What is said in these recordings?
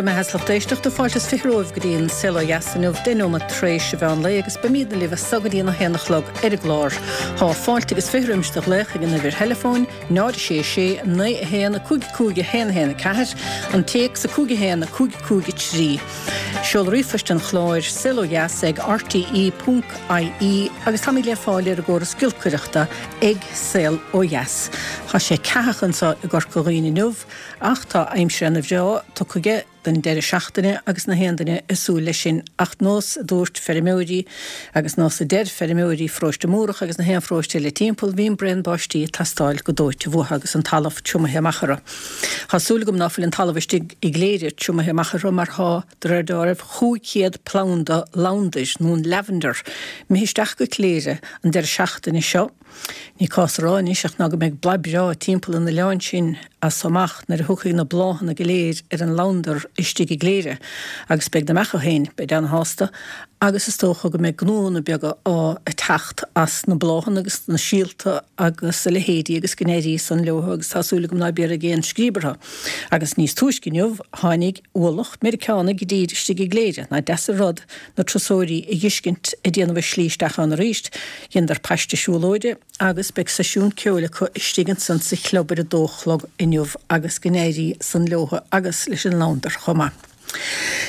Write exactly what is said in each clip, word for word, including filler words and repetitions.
Go raibh maith agat a lucht éisteachta. Fáilte is fiche romhaibh go dtí an Saol Ó Dheas inniu, deich nóiméad tar éis an mheán lae agus beimidne libh as so go dtí an a haon a chlog ar an gclár. Tá fáilte agus fiche roimis do ghlaoch ag an uimhir theileafóin, náid a sé sé, naoi a haon, a cúig cúig a haon a haon a ceathair, an téacs a cúig a haon, a cúig cúig a trí. Seoladh ríomhphoist an chláir, saol ó dheas ag R T E ponc I E, agus táimid le fáil ar an gcóras giolcaireachta ag Saol Ó Dheas. Tá sé ceathach anseo i gCorca Dhuibhne inniu, ach tá aimsir ana bhreá tugtha aige don deireadh seachtaine agus na haon duine ag súil leis sin, ach nós a dúirt feirmeoirí agus nós a deir feirmeoirí Pharóiste Múrach agus na haon pharóiste eile timpeall, bhí an braon báistí ag teastáil go dóite uathu agus an talamh triomaithe amach orthu. Tá súil agam ná fuil an talamh istigh i gCléire triomaithe amach orthu, mar thá, de réir dealraimh, chúig chéad planda labhandair nó an lavender imithe isteach go Cléire an deireadh seachtaine seo. Ní cás a rá anois ach ná go mbeidh bladh breá timpeall an oileáin sin as so amach nuair a thiocfaidh na bláthanna go léir ar an labhandar istigh i gCléire, agus beidh na beacha féin, beid ana-shásta, agus is dócha go mbeidh gnóanna beaga á teacht as na bláthanna agus na síolta agus a leithéidí agus go n-éirí san leo, agus tá súil agam ná béarfaidh aon scríob orthu. Agus níos túisce inniu tháinig ualach Meiriceánaigh i dtír istigh i gCléire. Nach deas an rud na turasóirí a dh'fheiscint ag déanamh a slí isteach ann arís. Dheineadar paiste siúlóide agus beidh seisiún ceoil acu istigh ansan sa chlub ar a dó chlog inniu, agus go n-éirí san leo agus leis an labhandar chomh maith.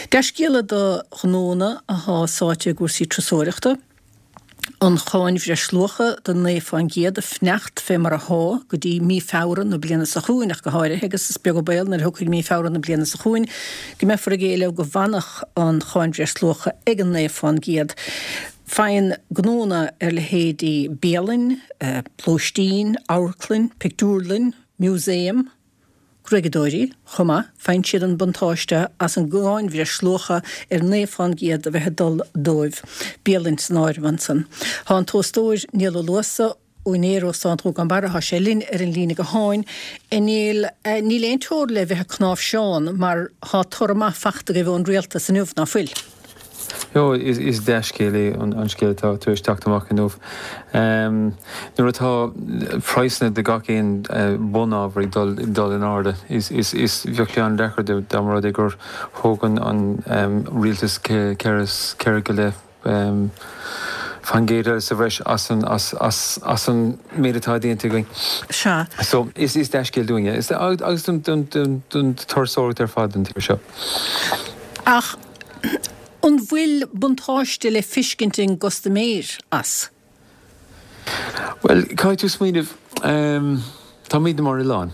Dea-scéala do ghnónna athá sáite i gcúrsaí turasóireachta. An cháin bhreisluacha de naoi fán gcéad a fanacht fé mar athá go dtí mí Feabhra na bliana seo chugainn ach go háirithe, agus is beag an baol nuair a thiocfaidh mí Feabhra na bliana seo chugainn go mbeifear ag éileamh go bhfanfadh an cháin bhreisluacha ag an naoi fán gcéad. Faigheann gnónna ar leithéidí bialann, lóistín, amharclann, pictiúrlann, músaem, gruaigeadóirí chomh maith, faigheann siad an buntáiste as an gcáin bhreisluacha ar naoi fán gcéad a bheith ag dul dóibh, bialann san áireamh ansan. Tá an t-óstóir Niall Ó Luasa, úinéir Óstán Ghúgán Barra, tá sé linn ar an líne gutháin. A Néill, níl aon teora le bheith ag cnáimhseán mar tá toradh maith fachta agaibh ón rialtas inniu, ná fuil? Jo, is, is dea-scéal é an, an scéal atá tar éis teacht amach inniu. Um, nuair atá praghsanna de gach aon uh, bunábhar ag dul, dul in airde, is, is, is bheadh sé an-deacair dá mba rud é gur thóg an, an um, rialtas ceithre ceithre go leith um, fán gcéad sa bhreis as an, as, as, as an méid atá déanta againn. Sea. So is is dea-scéal dúinne is agus don don don don turasóireacht ar fad an tír seo. Ach an bhfuil buntáiste le feiscint ag an gcustaiméir as? Well, caithfidh tú smaoineamh, um, táimid mar oileán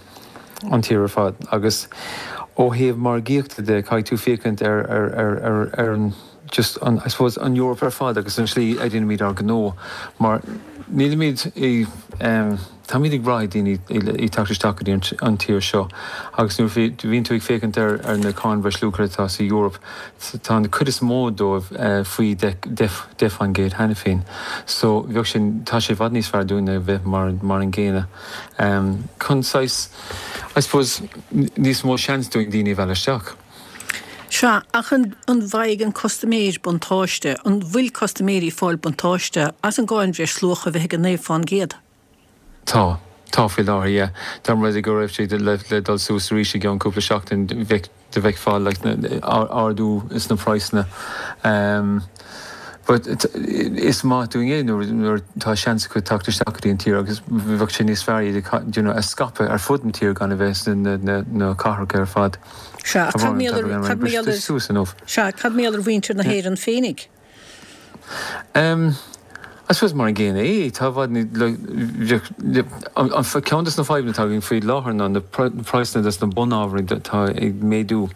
an tír ar fad, agus ó thaobh margaíochta de caithfidh tú féachaint ar ar ar ar ar an just an, I suppose, an Eoraip ar fad agus an slí a dhéanaimid ár gnó, mar nílimid i um, táimid ag brath daoine ag teacht isteach go dtí an tír seo, agus nuair bhíonn tú ag féachaint ar ar na cáin bhreisluacha atá sa Eoraip, tá an cuid is mó dóibh uh, faoi deich fán gcéad cheana féin. So bheadh sin, tá sé i bhfad níos fearr dúinne bheith mar mar an gcéanna. Um, chun saghas, I suppose, níos mó seans dúinn daoine a mhealladh isteach. Sea, ach an, an bhfaighidh an custaiméir buntáiste, an bhfuil custaiméirí fáil buntáiste as an gcáin bhreisluacha a bheith ag an naoi fán gcéad? Tá, tá faoi láthair, yeah. Tá rud go raibh sé le, le dul suas arís i gceann cúpla seachtain, bheith de bheith fáil like, ardú is na praghsanna. Um, But is maith dúinn é nuair nuair tá seans acu teacht isteach go dtí an tír, agus bheadh sé níos fearr iad you know, a scaipeadh ar fud an tír gan a bheith na, na, na cathracha ar fad. Sea, cad mar suas inniu. Sea, cad mar ar mhuintir na hÉireann féinig? Um, I suppose mar an gcéanna é, tá bhd an ceann des na fadhbanna atá againn faoi láthair ná na praghsanna des na bunábhair atá ag méadú.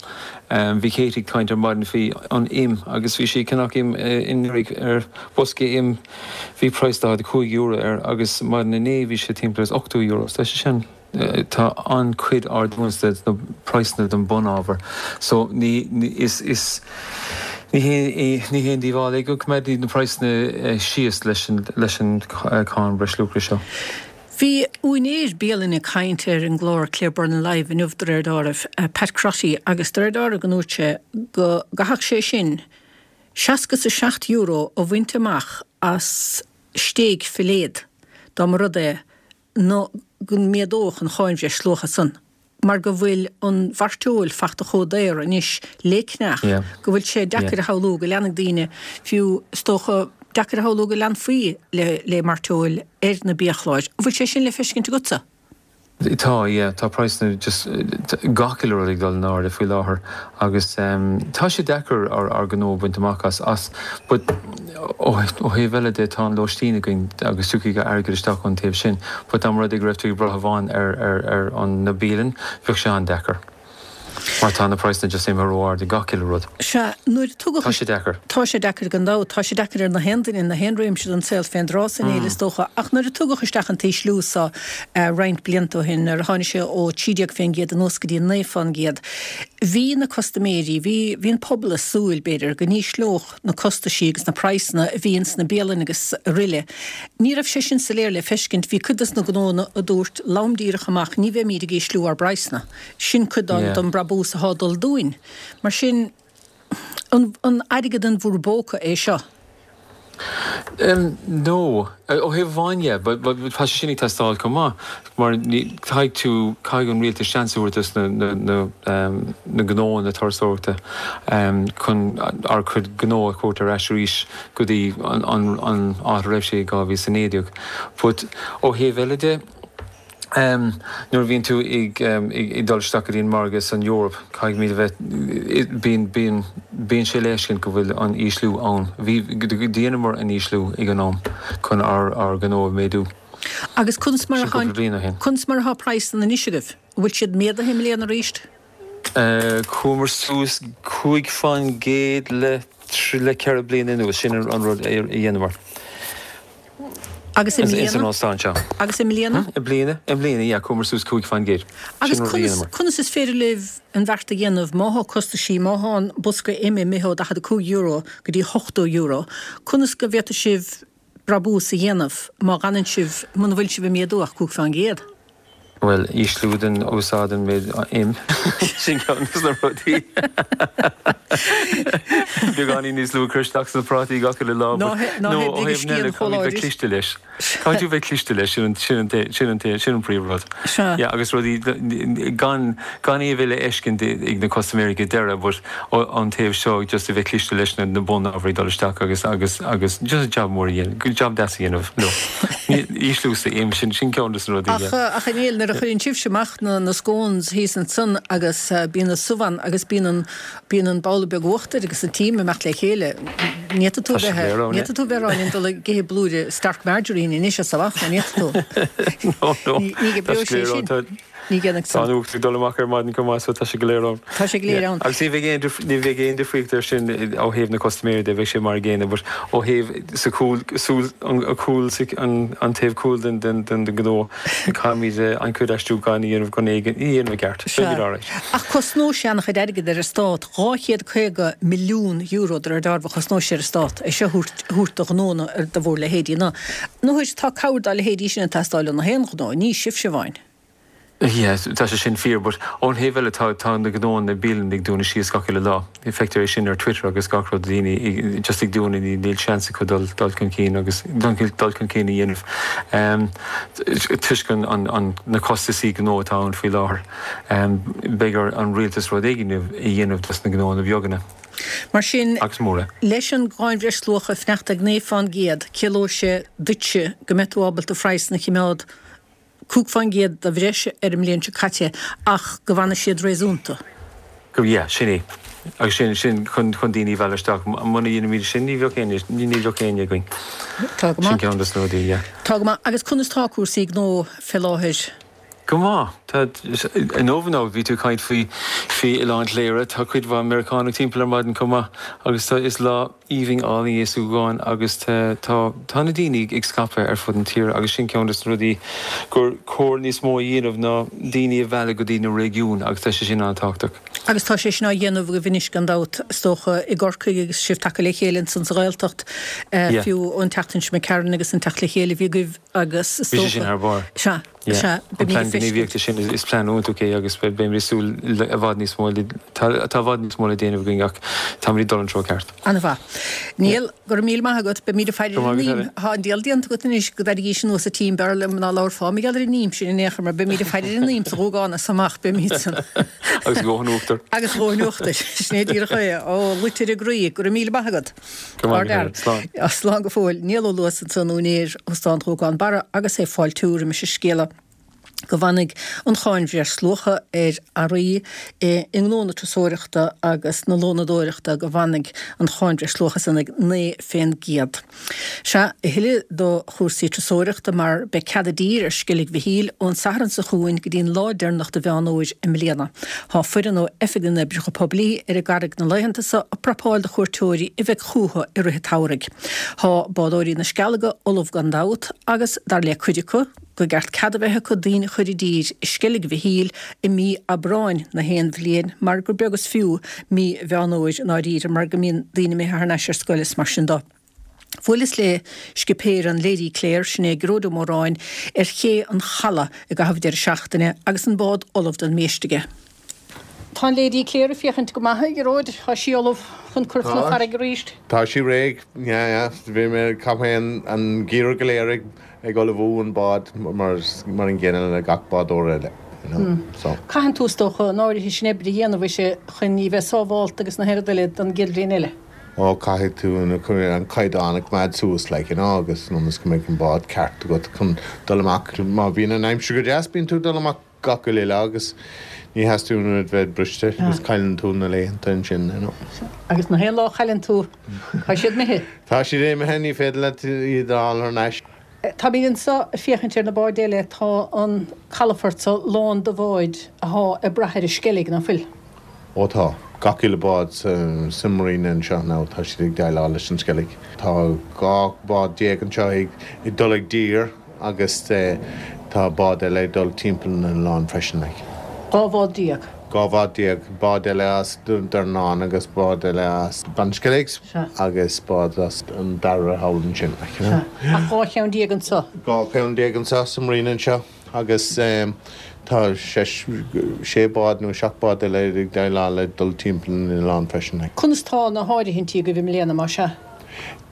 Um, bhí Katie ag caint ar maidin faoi an im, agus bhí sí ceannach im inniu ar bosca im, bhí praghas daichead a cúig euro air, agus maidin inné bhí sé timpeall is ochtó euro. Tá sé sin, tá an-chuid ardú na praghsanna den bunábhar. So ní, ní is is ní ní haon díobháil é go mbeidh na praghsanna síos leis an leis an cáin bhreisluacha seo. Bhí úinéir bialainne ag caint ar an gclár Claire Byrne Live inniu, de réir dealraimh, Pat Crotty, agus de réir dealraimh go ndúirt sé go gcaithfeadh sé sin seasca is a seacht euro a bhaint amach as stéig filéad dá mba rud é nó go méadódh an cháin bhreisluacha san. mar go bhfuil an mhairteoil fachta chomh daor anois le ceannach, go bhfuil sé deacair a shamhlú go leanfaidh daoine, fiú is dócha, deacair a shamhlú go leanfaí le le mairteoil ar na biachláir. An bhfuil sé sin le feiscint agatsa? Tá, yeah, tá praghsanna just gach uile rud ag dul in airde faoi láthair agus tá sé deacair ár ár gnó a bhaint amach as as but ó thaobh eile de tá an lóistín againn agus tiocfaidh airgead isteach ón taobh sin but dá mba rud é go raibh tú ag brath amháin ar ar ar an na bialann bheadh sé an-deacair mar tá na praghsanna just imithe ró-ard ag gach uile rud. Sea, nuair a tugadh. Tá sé deacair. Tá sé deacair gan dabht. Tá sé deacair ar na haon duine, na haon réimse den saol fén dtráth san fhéile is dócha. Ach nuair a tugadh isteach an t-ísliú so roinnt blianta ó shin, nuair a tháinig sé ó trí déag fén gcéad anuas go dtí naoi fán gcéad, bhí na custaiméirí, bhí, bhí an pobal ag súil, b'fhéidir, go n-ísleodh na costaisí agus na praghsanna a bhí ins na bialanna agus aroile. Ní raibh sé sin soiléir le feiscint. Bhí cuid dos na gnóanna a dúirt lom díreach amach, ní bheimíd ag ísliú ár bpraghsanna. Sin cuid den brabús atá ag dul dúinn. Mar sin, an airgead in bhur bpóca é seo? No. Ó thaobh amháin dhe, but tá sé sin ag teastáil chomh maith, mar caithfidh tú, caithfidh an rialtas seans a thabhairt dos na gnóanna turasóireachta chun ár gcuid gnó a thabhairt ar ais arís go dtí an áit a raibh sé i dhá mhíle is a naoi déag. But ó thaobh eile de, Nuair a bhíonn tú ag dul isteach go dtí an margadh san Eoraip, caithfimid a bheith, bíonn, bíonn, bíonn sé le feiscint go bhfuil an ísliú ann. Bhí, dheineamar an ísliú ag an am chun ár, ár gnó a mhéadú. Agus conas mar atá, conas mar atá praghsanna anois agaibh? An bhfuil siad méadaithe i mbliana arís? Chuamar suas cúig faoin gcéad le, le ceithre bliana anuas, sin an rud a dheineamar. Agus i mbliana? Ins an óstán seo. Agus i mbliana? I mbliana, i mbliana, yeah, chuamar suas cúig faoin gcéad. Agus conas, conas is féidir libh an bheart a dhéanamh má thá costaisí, má thá an bosca ime imithe ó daichead a cúig euro go dtí ochtó euro, conas go bhféadfaidh sibh brabús a dhéanamh má dh'fhanann sibh, muna bhfuil sibh ag méadú ach cúig faoin gcéad? Bhuel, ísliú den úsáid an méid im. Sin ceann de na rudaí. Beagáinín níos lú a chur isteach sna prátaí gach uile lá. Ná No, hé ó big thaobh scian eile, chomh caithfimid bheith láidir. cliste leis. Caithfidh tú bheith cliste leis, sin an, sin an, sin an, sin an príomhrud. Sea. Yeah, agus rudaí, gan, gan é a bheith le feiscint ag na custaiméirí go deireadh, but ón taobh seo, just a bheith cliste leis na, na bunábhair ag dul isteach agus, agus, agus just job mór a dhéanamh, job deas a dhéanamh leo. Ísliú sa im, sin, sin ceann de na rudaí, Ach, yeah. ach a Néill, nuair a chuireann sibhse amach na, na scones thíos ansan agus bíonn an subh ann agus bíonn an, bíonn an babhla beag uachtair agus an t-im ag imeacht le chéile, ní fhéadfaidh tú Tá sé bheith, go léir ann, ní yeah. fhéadfaidh tú bheith ag rá linn dul ag ithe blúire Stark Margarine anois as amach, ní fhéadfaidh tú. No, no, Ní, ní tá oibreoidh sé go sé léir ann, sin. tá, Ní dhéanfaidh tá san. an uachtar ag dul amach ar maidin chomh maith so tá sé go léir ann. Tá sé go léir Yeah. ann. Agus ní bheidh aon dif-, ní bheidh aon difríocht air sin ó thaobh na custaiméirí de, bheidh sé mar an gcéanna but ó thaobh sa chúl, súil, an, an cúl, sa, an, an taobh cúil den, den, den, den gnó, caithfimid an chuid aistriúcháin a dhéanamh chun é a dhéanamh i gceart. Sea. Beimid alright. Ach cosnóidh sé an-chuid airgid ar an Stát, dhá chéad caoga milliún euro de réir dealraimh a chosnóidh sé ar an Stát é seo a thabhairt, a thabhairt do ghnónna, do bhur leithéidí. Nó, nó tá cabhair dá leithéidí sin ag teastáil ó na haon ghnó, ní sibhse amháin. Yeah, tá sé sin fíor, but ón thaobh eile tá tá na gnóanna bialanna ag dúnadh síos gach uile lá. Feictear é sin ar Twitter agus gach rud daoine ag just ag dúnadh ní níl seans acu dul dul chun cinn agus dul dul chun cinn a dhéanamh um, toisc an, an, an na costaisí gnó atá ann faoi láthair. Um, beidh ar an rialtas rud éigin a dhéanamh dos na gnóanna beagana. Mar sin, Agus móra. leis an gcáin bhreisluacha ag fanacht ag naoi fán gcéad, ciallóidh sé duitse go mbeidh tú ábalta praghsanna a choimeád cúig fán gcéad de bhreis ar an mbliain seo caite ach go bhfanfaidh siad réasúnta. Go, yeah, sin é. Agus sin, sin chun, chun daoine a mhealladh isteach. Muna dhéanaimid sin, ní bheadh éinne, ní bheadh éinne againn. Tá go Sin maith. ceann de na rudaí, yeah. Tá go maith. Agus conas tá cúrsaí gnó fé láthair? Go maith. Tá, inniu nó bhí tú ag caint faoi, faoi Oileán Chléire, tá cuid mhaith Meiriceánach timpeall ar maidin chomh maith agus tá, is lá aoibhinn álainn é sa Ghúgán agus tá, tá, tá na daoine ag scaipeadh ar fud an tíre agus sin ceann de na rudaí gur chóir níos mó a dhéanamh ná daoine a mhealladh go dtí na réigiúin agus tá sé sin an-tábhachtach. Agus tá sé sin á dhéanamh agaibh anois gan dabht, is dócha, i gCorcaigh agus sibh tagtha le chéile ansan sa Ghaeltacht, Yeah. fiú an tseachtain seo imigh tharainn agus an teacht le chéile a bhí agaibh agus is Bhí sé dócha. sin thar barr. Sea. Yeah. An plean gníomhaíochta sin is plean iontach é agus beimid ag súil i bhfad níos mó tá i bhfad níos mó le déanamh againn ach táimid ag dul an treo ceart. An-mhaith. Niall, go raibh míle maith agat. Beimid ag faire ar an ím. Tá an diabhal déanta agat anois go dtarraingís anuas an tím b'fhearr liom ná labharfá mar gheall ar an ím sin in aon chor mar beimid ag faire ar an ím sa Ghuagán as amach beimid san. Agus a dhóthain uachtair. Agus a dhóthain uachtair. Sin é díreach é. Ó, loit ar an gcroí. Go raibh míle maith agat. Go raibh maith agat. Slán. Slán go fóill. Niall Ó Luasa ansan, úinéir Óstán Ghuagán Barra agus é ag fáiltiú roimis an scéala go bhfanfaidh an cháin bhreisluacha ar earraí i ngnó na turasóireachta agus na lónadóireachta, go bhfanfaidh an cháin bhreisluacha san ag naoi fén gcéad. Sea, a thuilleadh do chúrsaí turasóireachta mar beidh cead i dtír ar Sceilg Mhichíl ón Satharn seo chugainn go dtí an lá deireanach de Mheán Fhómhair i mbliana. Tá foireann ó Oifig na nOibreacha Poiblí ar an gCarraig na laethanta seo ag prapáil do chuairteoirí a bheidh chúthu i rith an tsamhraidh. Tá bádóirí na Scealga ullamh gan dabht agus, dar le cuid acu, go gceart cead a bheith acu daoine a chur i dtír i Sceilg Mhichíl i mí Aibreáin na haon bhliain mar gur beag is fiú mí Mheán Fhómhair i ndáiríre mar go mbíonn daoine imithe thar n-ais ar scoil is mar sin do. Bhuaileas le scipéir an Lady Clare, sin é Gearóid Ó Móráin, ar ché an Chalaidh i gcaitheamh deireadh seachtaine agus an bád ullamh don mbiaiste aige. Tá an Lady Clare ag féachaint go maith, a Ghearóid. Tá sí ullamh chun cur chun na farraige arís. Tá sí réidh, yeah, yeah. Bhí mé, chaith mé an geimhreadh go léir ag ag ullmhú an bád mar mar an gcéanna le gach bádóir eile, you know, so. Caitheann tú, is dócha, an áirithe sin oibre a dhéanamh uirthi chun í bheith sábhálta agus na haon rud eile don gcéad bhliain eile. Ó, caithfidh tú an caighdeán a choimeád suas, like, you know, agus ionas go mbeidh an bád ceart agat chun dul amach. Má bhíonn an aimsir go deas, bíonn tú ag dul amach gach uile lá agus ní theastaíonn uait bheith briste agus cailleann tú na laethanta ansin, you know. Agus na haon lá a chailleann tú, tá siad imithe. Tá siad imithe, ní féidir leat iad a fháil thar n-ais. Táimid anseo ag féachaint ar na báid eile, tá an calafort so lán de bháid athá ag brath ar an Sceilg, ná fuil? Ó tá. Gach uile bád sa marina anseo now tá siad ag déileáil leis an Sceilg. Tá dhá bád déag anseo ag dul i dtír agus tá bád eile ag dul timpeall na n-oileán freisin like. Dhá bhád déag? Dhá bhád déag. Bád eile as Dornán agus bád eile as An Sceilg agus bád as an Dara thall ansin like, you know. Sea. Ach dhá cheann déag anseo? Dhá cheann déag anseo sa marina anseo. Agus tá sé bád nó seacht bád eile ag déileáil le dul timpeall an oileáin freisin. Conas tá na háirithintí agaibh i mbliana, más ea?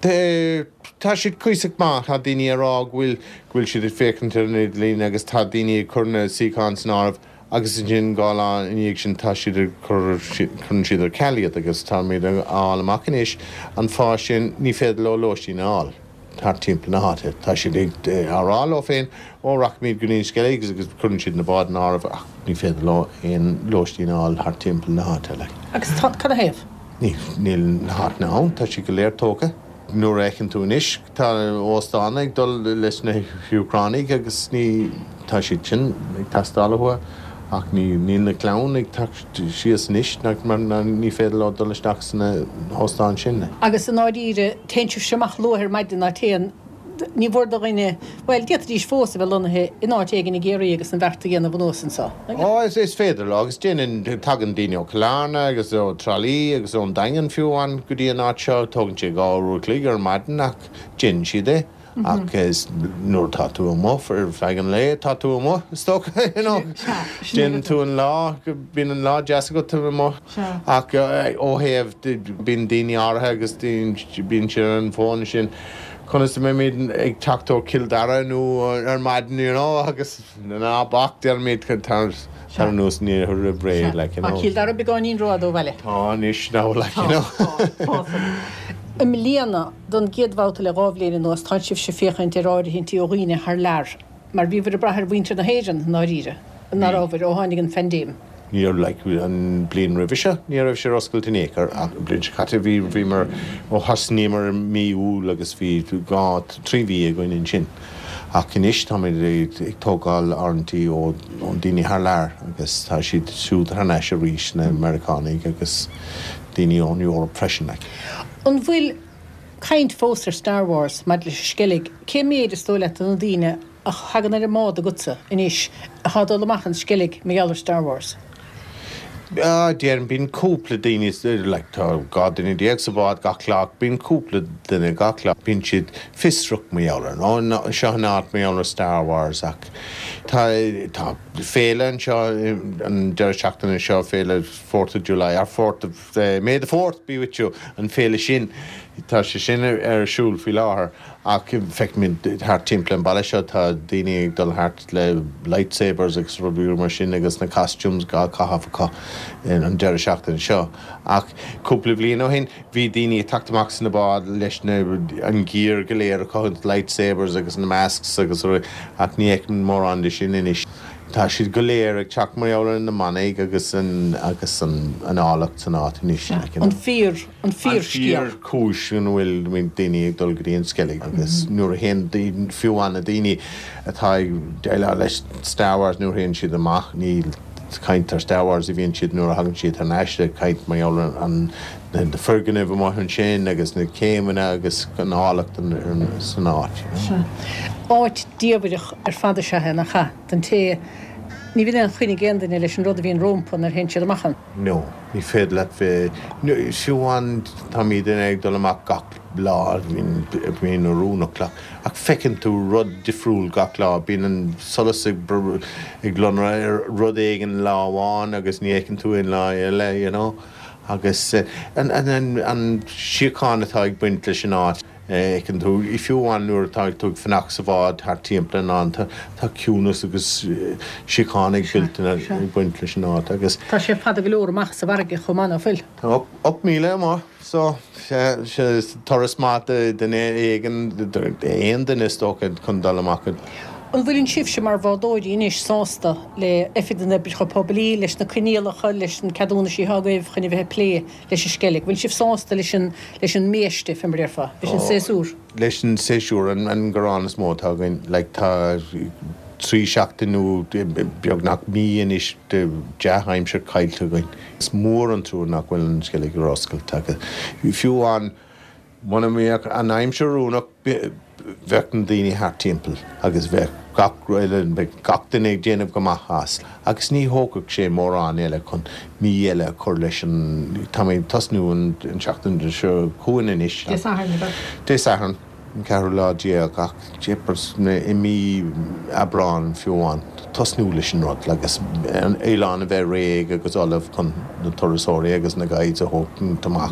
Tá siad cuíosach maith. Tá daoine ag rá go bhfuil go bhfuil siad ag féachaint ar an idirlíon agus tá daoine ag cur na suíocháin san áireamh agus ansin dhá lá ina dhiaidh sin tá siad ag cur cuireann siad ar ceal iad agus táimid ag fháil amach anois an fáth sin ní féidir leo lóistín a fháil. thart timpeall na háite. Tá siad ag á rá leo féin, ó, rachaimid go dtí an Sceilg agus cuireann siad na báid in áireamh ach ní féidir leo aon lóistín a fháil thart timpeall na háite. Like. Agus tá, cad ina thaobh? Ní, níl na háiteanna ann, tá siad go léir tógtha. Nuair a fheiceann tú anois, tá óstáin ag dul leis na hÚcránaigh agus ní, tá siad sin ag teastáil uathu. Ach ní, níl na clann ag teacht síos anois mar ní féidir leo dul isteach sna hóstáin sin. Agus i ndáiríre, téann sibhse amach luath ar maidin ná téann, ní mhór do dhuine, bhuel, d'fhéadfaidís fós a bheith lonnaithe in áit éigin i gCiarraí agus an bheart a dhéanamh anuas anseo. Ó, is, is féidir leo agus déanann, tagann daoine ó Chill Airne agus ó Trá Lí agus ón Daingean fiú amháin go dtí an áit seo. Tógann sé dhá uair a chloig ar maidin ach déanann siad é. Ach is nuair atá tú amuigh ar feadh an lae, tá tú amuigh, is dócha, you know. Déanann tú an lá, bíonn an lá deas agat amuigh. Ach ó thaobh, bíonn daoine áirithe agus bíonn siad ar an bhfón sin, conas a mbeimid ag teacht ó Chill Dara nó ar maidin, you know, agus ná bac, deirimid, tar anuas roimh ré, like, you know. Tá Cill Dara beagáinín rófhada ó bhaile. Tá anois now, like, you know. Tá, tá. I mbliana, don gcéad bhabhta le dhá bhliain anuas, tá sibhse ag féachaint ar áirithintí ó dhaoine thar lear, mar bhíobhair ag brath ar mhuintir na hÉireann, i ndáiríre, ná rabhabhair, ó tháinig an phaindéim. Ní raibh, like, an bhliain roimhe seo, ní raibh sé ar oscailt in aon chor, ach an bhliain seo caite, bhí, bhíomar, ó thosnaíomar i mí Iúil agus bhí dhá, trí mhí againn ansin. Ach anois táimid ag tógáil áirithintí ó daoine thar lear agus tá siad siúd thar n-ais arís, na Meiriceánaigh agus daoine ón Eoraip freisin. Like. An bhfuil caint fós ar Star Wars maidir leis an Sceilg? Cé mhéid is dóigh leat de na daoine a thagann ar an mbád agatsa anois atá ag dul amach an Sceilg mar gheall ar Star Wars? Ah, déarfainn bíonn cúpla daoine like tá dhá duine déag sa bhád gach lá, bíonn cúpla duine gach lá, bíonn siad fiosrach mar gheall air, nó seo an áit mar gheall ar Star Wars ach tá tá féile anseo an deireadh seachtaine seo féile Fourth of July or Fourth of uh, May the Fourth be with you an féile sin tá sé sin ar, ar siúl faoi láthair ach feicimid thart timpeall an baile seo tá daoine ag dul thart le lightsabers agus rudaí mar sin agus na costumes á gcaitheamh acu an deireadh seachtaine seo. Ach cúpla bliain ó shin bhí daoine ag teacht amach sna báid leis na an gear go léir acu lightsabers agus na masks agus rudaí ach ní fheicim mórán de sin anois. Tá siad go léir ag teacht mar gheall ar na manaigh agus an agus an an áilleacht san áit anois. An fíor an fíor scéal. An fíor cúis an bhfuil daoine ag dul go dtí an Sceilg agus nuair a théann fiú amháin na daoine atá ag déileáil leis Star Wars nuair a théann siad amach ní caint ar Star Wars a bhíonn siad nuair a thagann siad thar n-ais ag caint mar gheall ar an na foirgnimh amuigh ansin agus na céimeanna agus an áilleacht san áit. Áit diamhrach ar fad is ea é nach ea? Don té ní bhíonn aon choinne ag aon duine leis an rud a bhíonn rompu nuair a théann siad amach ann. No, ní féidir leat bheith, fiú amháin táimid ag dul amach gach lá, bíonn oiriúnach ach feiceann tú rud difriúil gach lá, bíonn an solas ag ag lonradh ar rud éigin lá amháin agus ní fheiceann tú aon lá eile, you know. Agus an, an, an, an síocháin atá ag baint leis an áit. Fheiceann tú, fiú amháin nuair atá tú ag fanacht sa bhád thart timpeall an oileáin, tá ciúnas agus síocháin ag ag baint leis an áit agus. Tá sé fada go leor amach sa bhfarraige chomh maith, nach bhfuil? Tá ocht míle amuigh, so turas maith do duine éigin, aon duine is dócha chun dul amach. An bhfuileann sibhse mar bhádóirí anois sásta le Oifig na nOibreacha Poiblí, leis na coinníollacha, leis na ceadúnaisí atá agaibh chun a bheith ag plé leis an Sceilg? Bhfuil sibh sásta leis an leis an mbiaiste, fé mar a déarfá, leis an séasúr? Leis an séasúr, an an gearán is mó atá againn, like tá trí seachtain nó beagnach mí anois de dea-aimsir caillte againn. Is mór an trua nach bhfuil an Sceilg ar oscailt agus fiú amháin muna mbeadh an aimsir oiriúnach bheadh na daoine thart timpeall agus bheadh gach bheadh gach duine ag déanamh go maith as. Agus ní thógfadh sé mórán eile chun mí eile a chur leis an tá mé ag tosnú an tseachtain seo chugainn anois. Dé Sathairn, ab ea? Dé Sathairn. an ceathrú lá déag ach jeepers i mí Aibreán fiú amháin tosnú leis an rud agus an oileán a bheith réidh agus ullamh chun na turasóirí agus na guides a thógaint amach.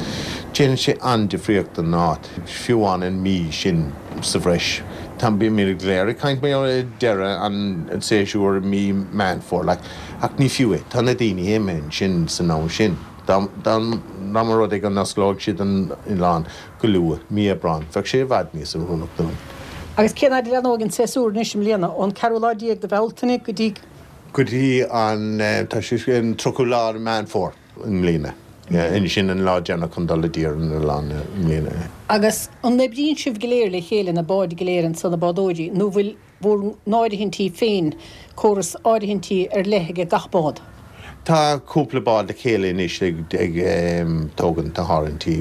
Déanann sé an-difríocht don áit, fiú amháin an mí sin sa bhreis. Tá bímid go léir ag caint mar deireadh an séasúr i mí Meán Fómhair like, ach ní fiú é, tá na daoine imithe ansin san am sin. Dá mba rud é go n-osclódh siad an oileán go luath, mí Aibreán, bheadh sé i bhfad níos oiriúnach dúinn. Agus cén fhad a leathnóidh an séasúr anois i mbliana? Ón ceathrú lá déag de Bhealtaine go dtí? Go dtí an, tá sé an tríochadú lá de Meán Fómhair i mbliana. Sin an lá deireanach chun dul i dtír ar an oileán i mbliana. Agus an oibríonn sibh go léir le chéile, na báid go léir anso, na bádóirí, nó bhfuil bhur n-áirithintí féin, córas áirithintí ar leith ag gach bád? Tá cúpla bád le chéile anois ag tógaint na háirithintí.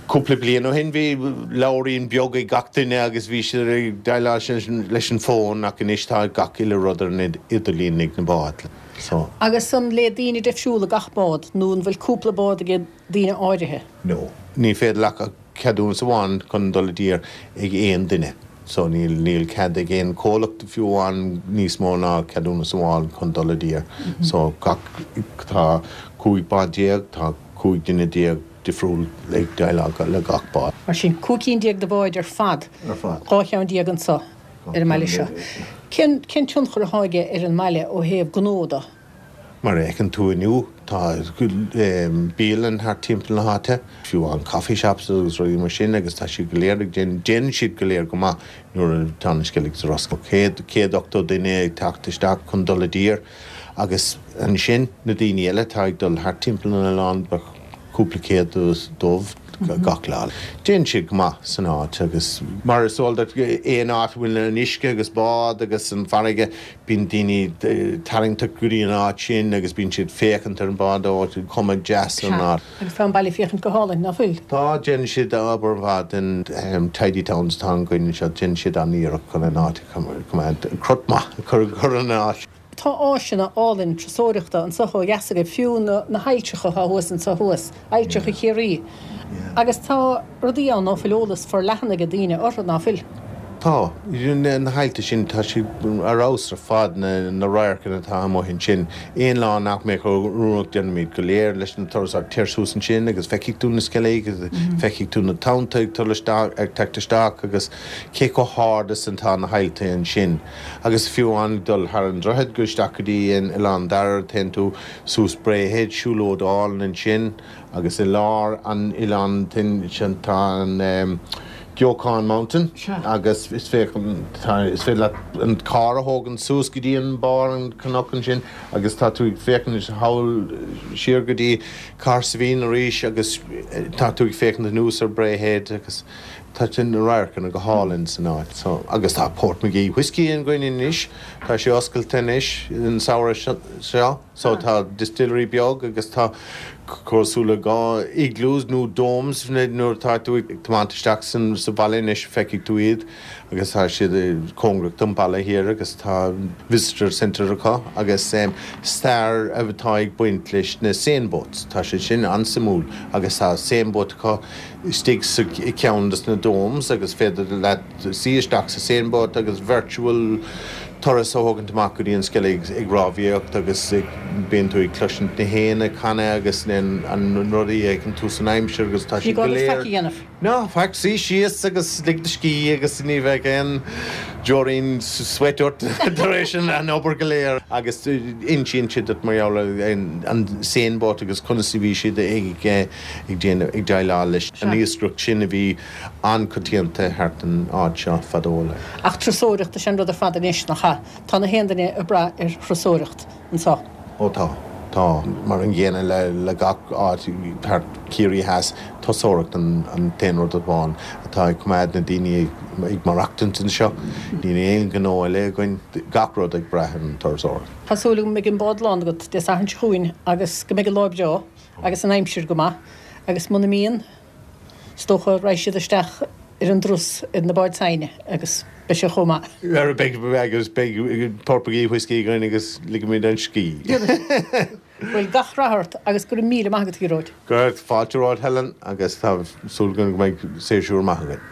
Cúpla bliain ó shin bhí leabhairín beag ag gach duine agus bhí siad ag déileáil leis an bhfón ach anois tá gach uile rud ar an idirlíon ag na báid. So. Agus an le daoine difriúla gach bád nó an bhfuil cúpla bád ag daoine áirithe? No. Ní féidir leat ach ceadúnas amháin chun dul i dtír ag aon duine. So níl níl cead ag aon comhlacht fiú amháin níos mó ná ceadúnas amháin chun dul i dtír. So gach tá cúig bád déag, tá cúig duine déag difriúil ag déileáil le gach bád. Mar sin, cúig cinn déag de bháid ar fad, Ar fad. dhá cheann déag anso ar an mbaile seo. Cén cén tionchar atá aige ar an mbaile ó thaobh gnó de? Mar a fheiceann tú inniu, tá bialann thart timpeall na háite, fiú amháin coffee shops agus rudaí mar sin agus tá siad go léir ag déanamh, déanann siad go léir go maith nuair atá an Sceilg ar oscailt. Céad, céad ochtó duine ag teacht isteach chun dul i dtír agus ansin na daoine eile atá ag dul thart timpeall an oileáin, bheadh cúpla céad dóibh gach lá. Déanann siad go maith san áit agus mar is eol duit aon áit a bhfuil an uisce agus bád agus an farraige bíonn daoine tarraingteach go dtí an áit sin agus bíonn siad féachaint ar an bád ó cuma deas ar an áit. Agus tá an baile féachaint go hálainn, ná fuil? Tá, déanann siad obair mhaith den Tidy Towns atá againn anseo, déanann siad an-iarracht chun an áit a choimeád, crot maith a chur ar an áit. Tá áiseanna álainn turasóireachta anseo ó dheas agaibh, fiú na hailltreacha atá thuas anseo thuas, ailltreacha Chiarraí. Agus tá rudaí ann ná fuil eolas forleathan ag daoine orthu, ná fuil? Tá. Na haillte sin, tá siad ar fheabhas ar fad, na radharcanna atá amuigh ansin. Aon lá nach mbeadh oiriúnach déanaimid go léir leis na turasóirí, téir suas ansin agus feicfidh tú na Sceilg, feicfidh tú na tonnta ag dul isteach, ag teacht isteach agus cé chomh hard is atá na haillte ansin. Agus fiú amháin dul thar an droichead go isteach go dtí an Oileán Dara, téann tú suas Bray Head, siúlóid álainn ansin agus i lár an oileáin sin tá an Geokaun Mountain agus is féidir leat an carr a thógaint suas go dtí an barr an cnoc ansin agus tá tú ag féachaint thall siar go dtí Cahersiveen arís agus tá tú ag féachaint anuas ar Bray Head agus tá na radharcanna go hálainn san áit. So, agus tá Portmagee Whiskey againn anois, tá sé oscailte anois an samhradh seo, so tá distillery beag agus tá cosúil le dhá igloos nó domes nuair atá tú ag tiomáint isteach sa bhaile anois feicfidh tú iad agus tá siad cóngarach don bhaile thiar agus tá visitor centre acu agus stair atá ag baint leis na seine boats. Tá sé sin an-suimiúil agus tá seine boat acu istigh sa ceann des na domes agus féidir leat suí isteach sa seine boat agus virtual turas a thógaint amach go dtí an Sceilg ag rámhaíocht agus bíonn tú ag cloisint na héin ag canadh agus an rudaí a fheiceann tú san aimsir agus tá siad go léir. Ná faic, suigh síos agus lig do scíth agus ní bheidh aon deoirín sweat ort tar éis an obair go léir agus insíonn siad duit mar gheall ar an seine boat agus conas a bhí siad ag ag déanamh ag déileáil leis an iascaireacht sin a bhí an-choitianta thart an áit seo fadó. Ach turasóireacht is an rud ar fad anois nach ea? Tá na haon duine ag brath ar thurasóireacht anseo. Ó tá, tá. Mar an gcéanna le le gach áit thart Ciarraí Theas, turasóireacht an an t-aon rud amháin atá ag coimeád na daoine ag maireachtaint anseo. Níl aon ghnó eile againn, gach rud ag brath ar an turasóireacht. Tá súil agam go mbeidh an bád lán agat Dé Sathairn seo chugainn agus go mbeidh an lá breá agus an aimsir go maith agus muna mbíonn, is dócha raghaidh siad isteach ar an dturas ar na báid s'againne agus beidh sé chomh maith. Beidh, agus beidh Portmagee whiskey againn agus ligfimid an scíth. Bhuel, gach rath ort agus go raibh míle maith agat, a Ghearóid. Go raibh fáilte romhat, Helen, agus tá súil agam go mbeidh séasúr maith againn.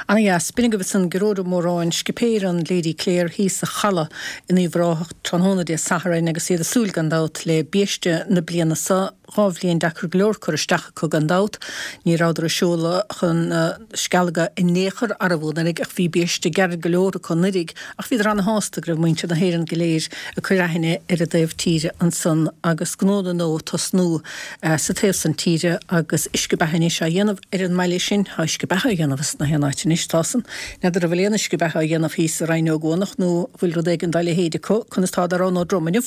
Ana dheas. B'in agaibh ansan Gearóid Ó Móráin, scipéir an Lady Clare thíos sa Chaladh in Uíbh Ráthach tráthnóna Dé Sathairn agus iad ag súil gan dabht le biaiste na bliana seo. Dhá bhliain deacair go leor curtha isteach acu gan dabht. Ní rabhadar ag seoladh chun na Scealga in aon chor arbhú anuraidh ach bhí biaiste gairid go leor acu anuraidh ach bhíodar ana-shásta go raibh muintir na hÉireann go léir ag cur aithne ar an dtaobh tíre ansan agus gnó na ngnó ag tosnú sa taobh san tíre agus uisce beatha anois á dhéanamh ar an mbaile sin. Tá uisce beatha á dhéanamh as na haon áit anois, tá san. N'fheadar an bhfuil aon uisce beatha á dhéanamh thíos i Rinn Ó gCuanach nó an bhfuil rud éigin dá leithéid acu. Conas tá Darán Ó Drom inniu?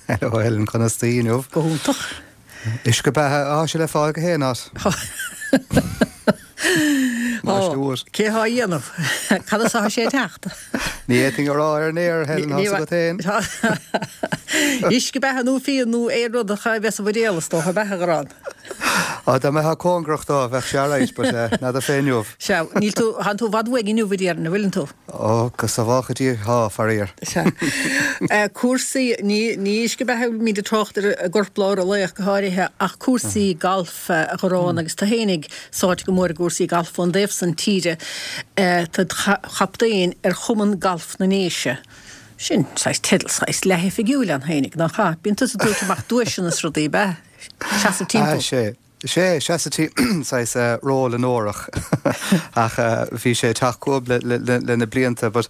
Hello Helen, conas taoi inniu? Go hiontach. Uisce beatha, tá sé le fáil gach aon áit. Más dúr. Cé thá á dhéanamh? Cad as atá sé ag teacht? Ní fhéadfainn a rá ar an aer, Helen, tá's agat féin. Uisce beatha nó fíon nó aon rud a bheas sa bhuidéal is dócha, beatha a Dharán. Á, dá mbeifeá cóngarach dó, bheadh sé alright, but n'fheadar fé inniu. Sea, níl tú, thánn tú i bhfad uaidh inniu, a déarfainn, an bhfuileann tú? Ó, go sábhála Dia, thá, faraor. Sea. Cúrsaí, ní, ní uisce beatha a bhfuilimid ag trácht ar i gcorplár an lae ach go háirithe, ach cúrsaí gailf, a Dharán, agus tú fhéinig sáite go mór i gcúrsaí gailf ón dtaobh san tíre, tá id chaptaen ar Chumann Gailf na nDéise. Sin saghas teideal saghas leathoifigiúil ann fhéinig, nach ea? Bíonn tusa ag tabhairt amach duaiseanna is rudaí, ab ea? Seasamh timpeall. Ah, sé. Sé, seasamh timpeall, saghas ról onórach. Ach bhí sé ag teacht chugam le, le, le, le na blianta, but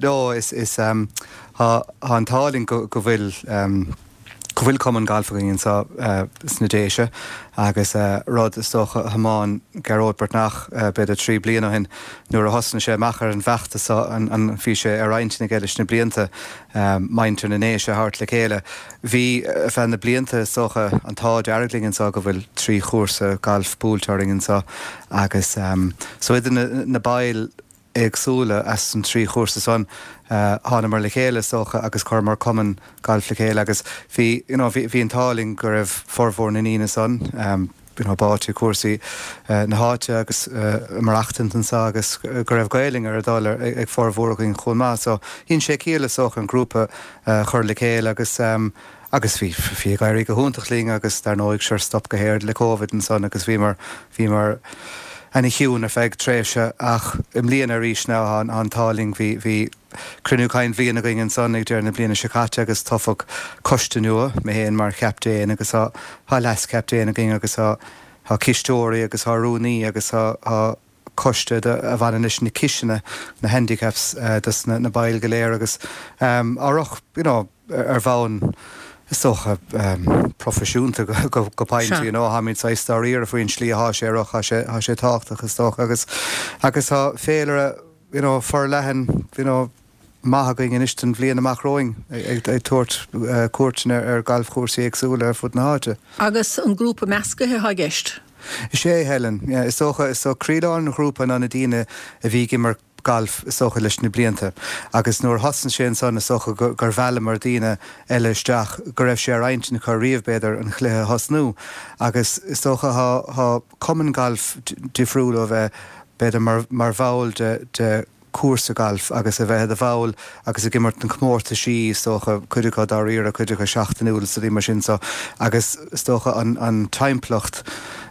no, is, is, tá, tá an t-ádh linn go, go bhfuil, go bhfuil cumann gailf againn anseo sna Déise agus rud is dócha a thiomáin Gearóid Breathnach b'fhéidir trí bliana ó shin nuair a thosnaigh sé amach ar an bhfeachtas seo an bhí sé ar intinn aige leis na blianta muintir na nDéise a thabhairt le chéile. Bhí ar feadh na blianta is dócha an t-ádh dearg linn anseo go bhfuil trí chúrsa gailf buailte orainn anseo agus so idir na baill éagsúla as an trí chúrsa san, thánamar le chéile is dócha agus chuireamar cumann gailf le chéile agus bhí, you know, bhí, bhí an t-ádh linn go raibh formhór na ndaoine san, you know, báite cúrsaí na háite agus maireachtaint anseo agus go raibh Gaelainn ar a dtoil ag formhór againn chomh maith. So dhein sé ciall is dócha an grúpa a chur le chéile agus um, agus bhí bhí ag éirí go hiontach linn agus dar ndóigh sure stop go héad le Covid ansan agus bhíomar bhíomar ana-chiúin ar feadh tréimhse ach i mbliana arís now an an t-ádh linn bhí bhí cruinniú cinn bhliana againn ansan ag deireadh na bliana seo caite agus toghadh coiste nua mé féin mar chaptaen agus tá tá leas-chaptaen againn agus tá tá cisteoirí agus tá rúnaí agus tá tá coiste a bhaineann leis na ciseanna na handicaps dos na na baill go léir agus um, ach you know, ar bhonn is dócha um, proifisiúnta go, go, go pointe you know, táimid saghas dáiríre faoin slí atá sé ach tá sé tá sé tábhachtach is dócha agus agus tá féilire you know, forleathan you know, maith againn anois don bhliain amach romhainn ag ag tabhairt uh, cuairteanna ar, ar galfchúrsaí éagsúla ar fud na háite. Agus an grúpa measctha atá i gceist? Is é Helen, yeah, is dócha is so croílár an ghrúpa ná na daoine a bhí ag imirt galf is dócha leis na blianta. Agus nuair thosaigh sé ansan is dócha gur mheallamar daoine eile isteach go raibh sé ar intinn acu riamh b'fhéidir an chluiche a thosnú. Agus is dócha tá cumann galf difriúil ó bheith b'fhéidir mar, mar bhall de, de cúrsa galf agus a bheith i do bhall agus ag imirt na comórtaisí is dócha cuid acu dáiríre cuid acu seachtainiúil is rudaí mar sin so agus is dócha an, an timpeallacht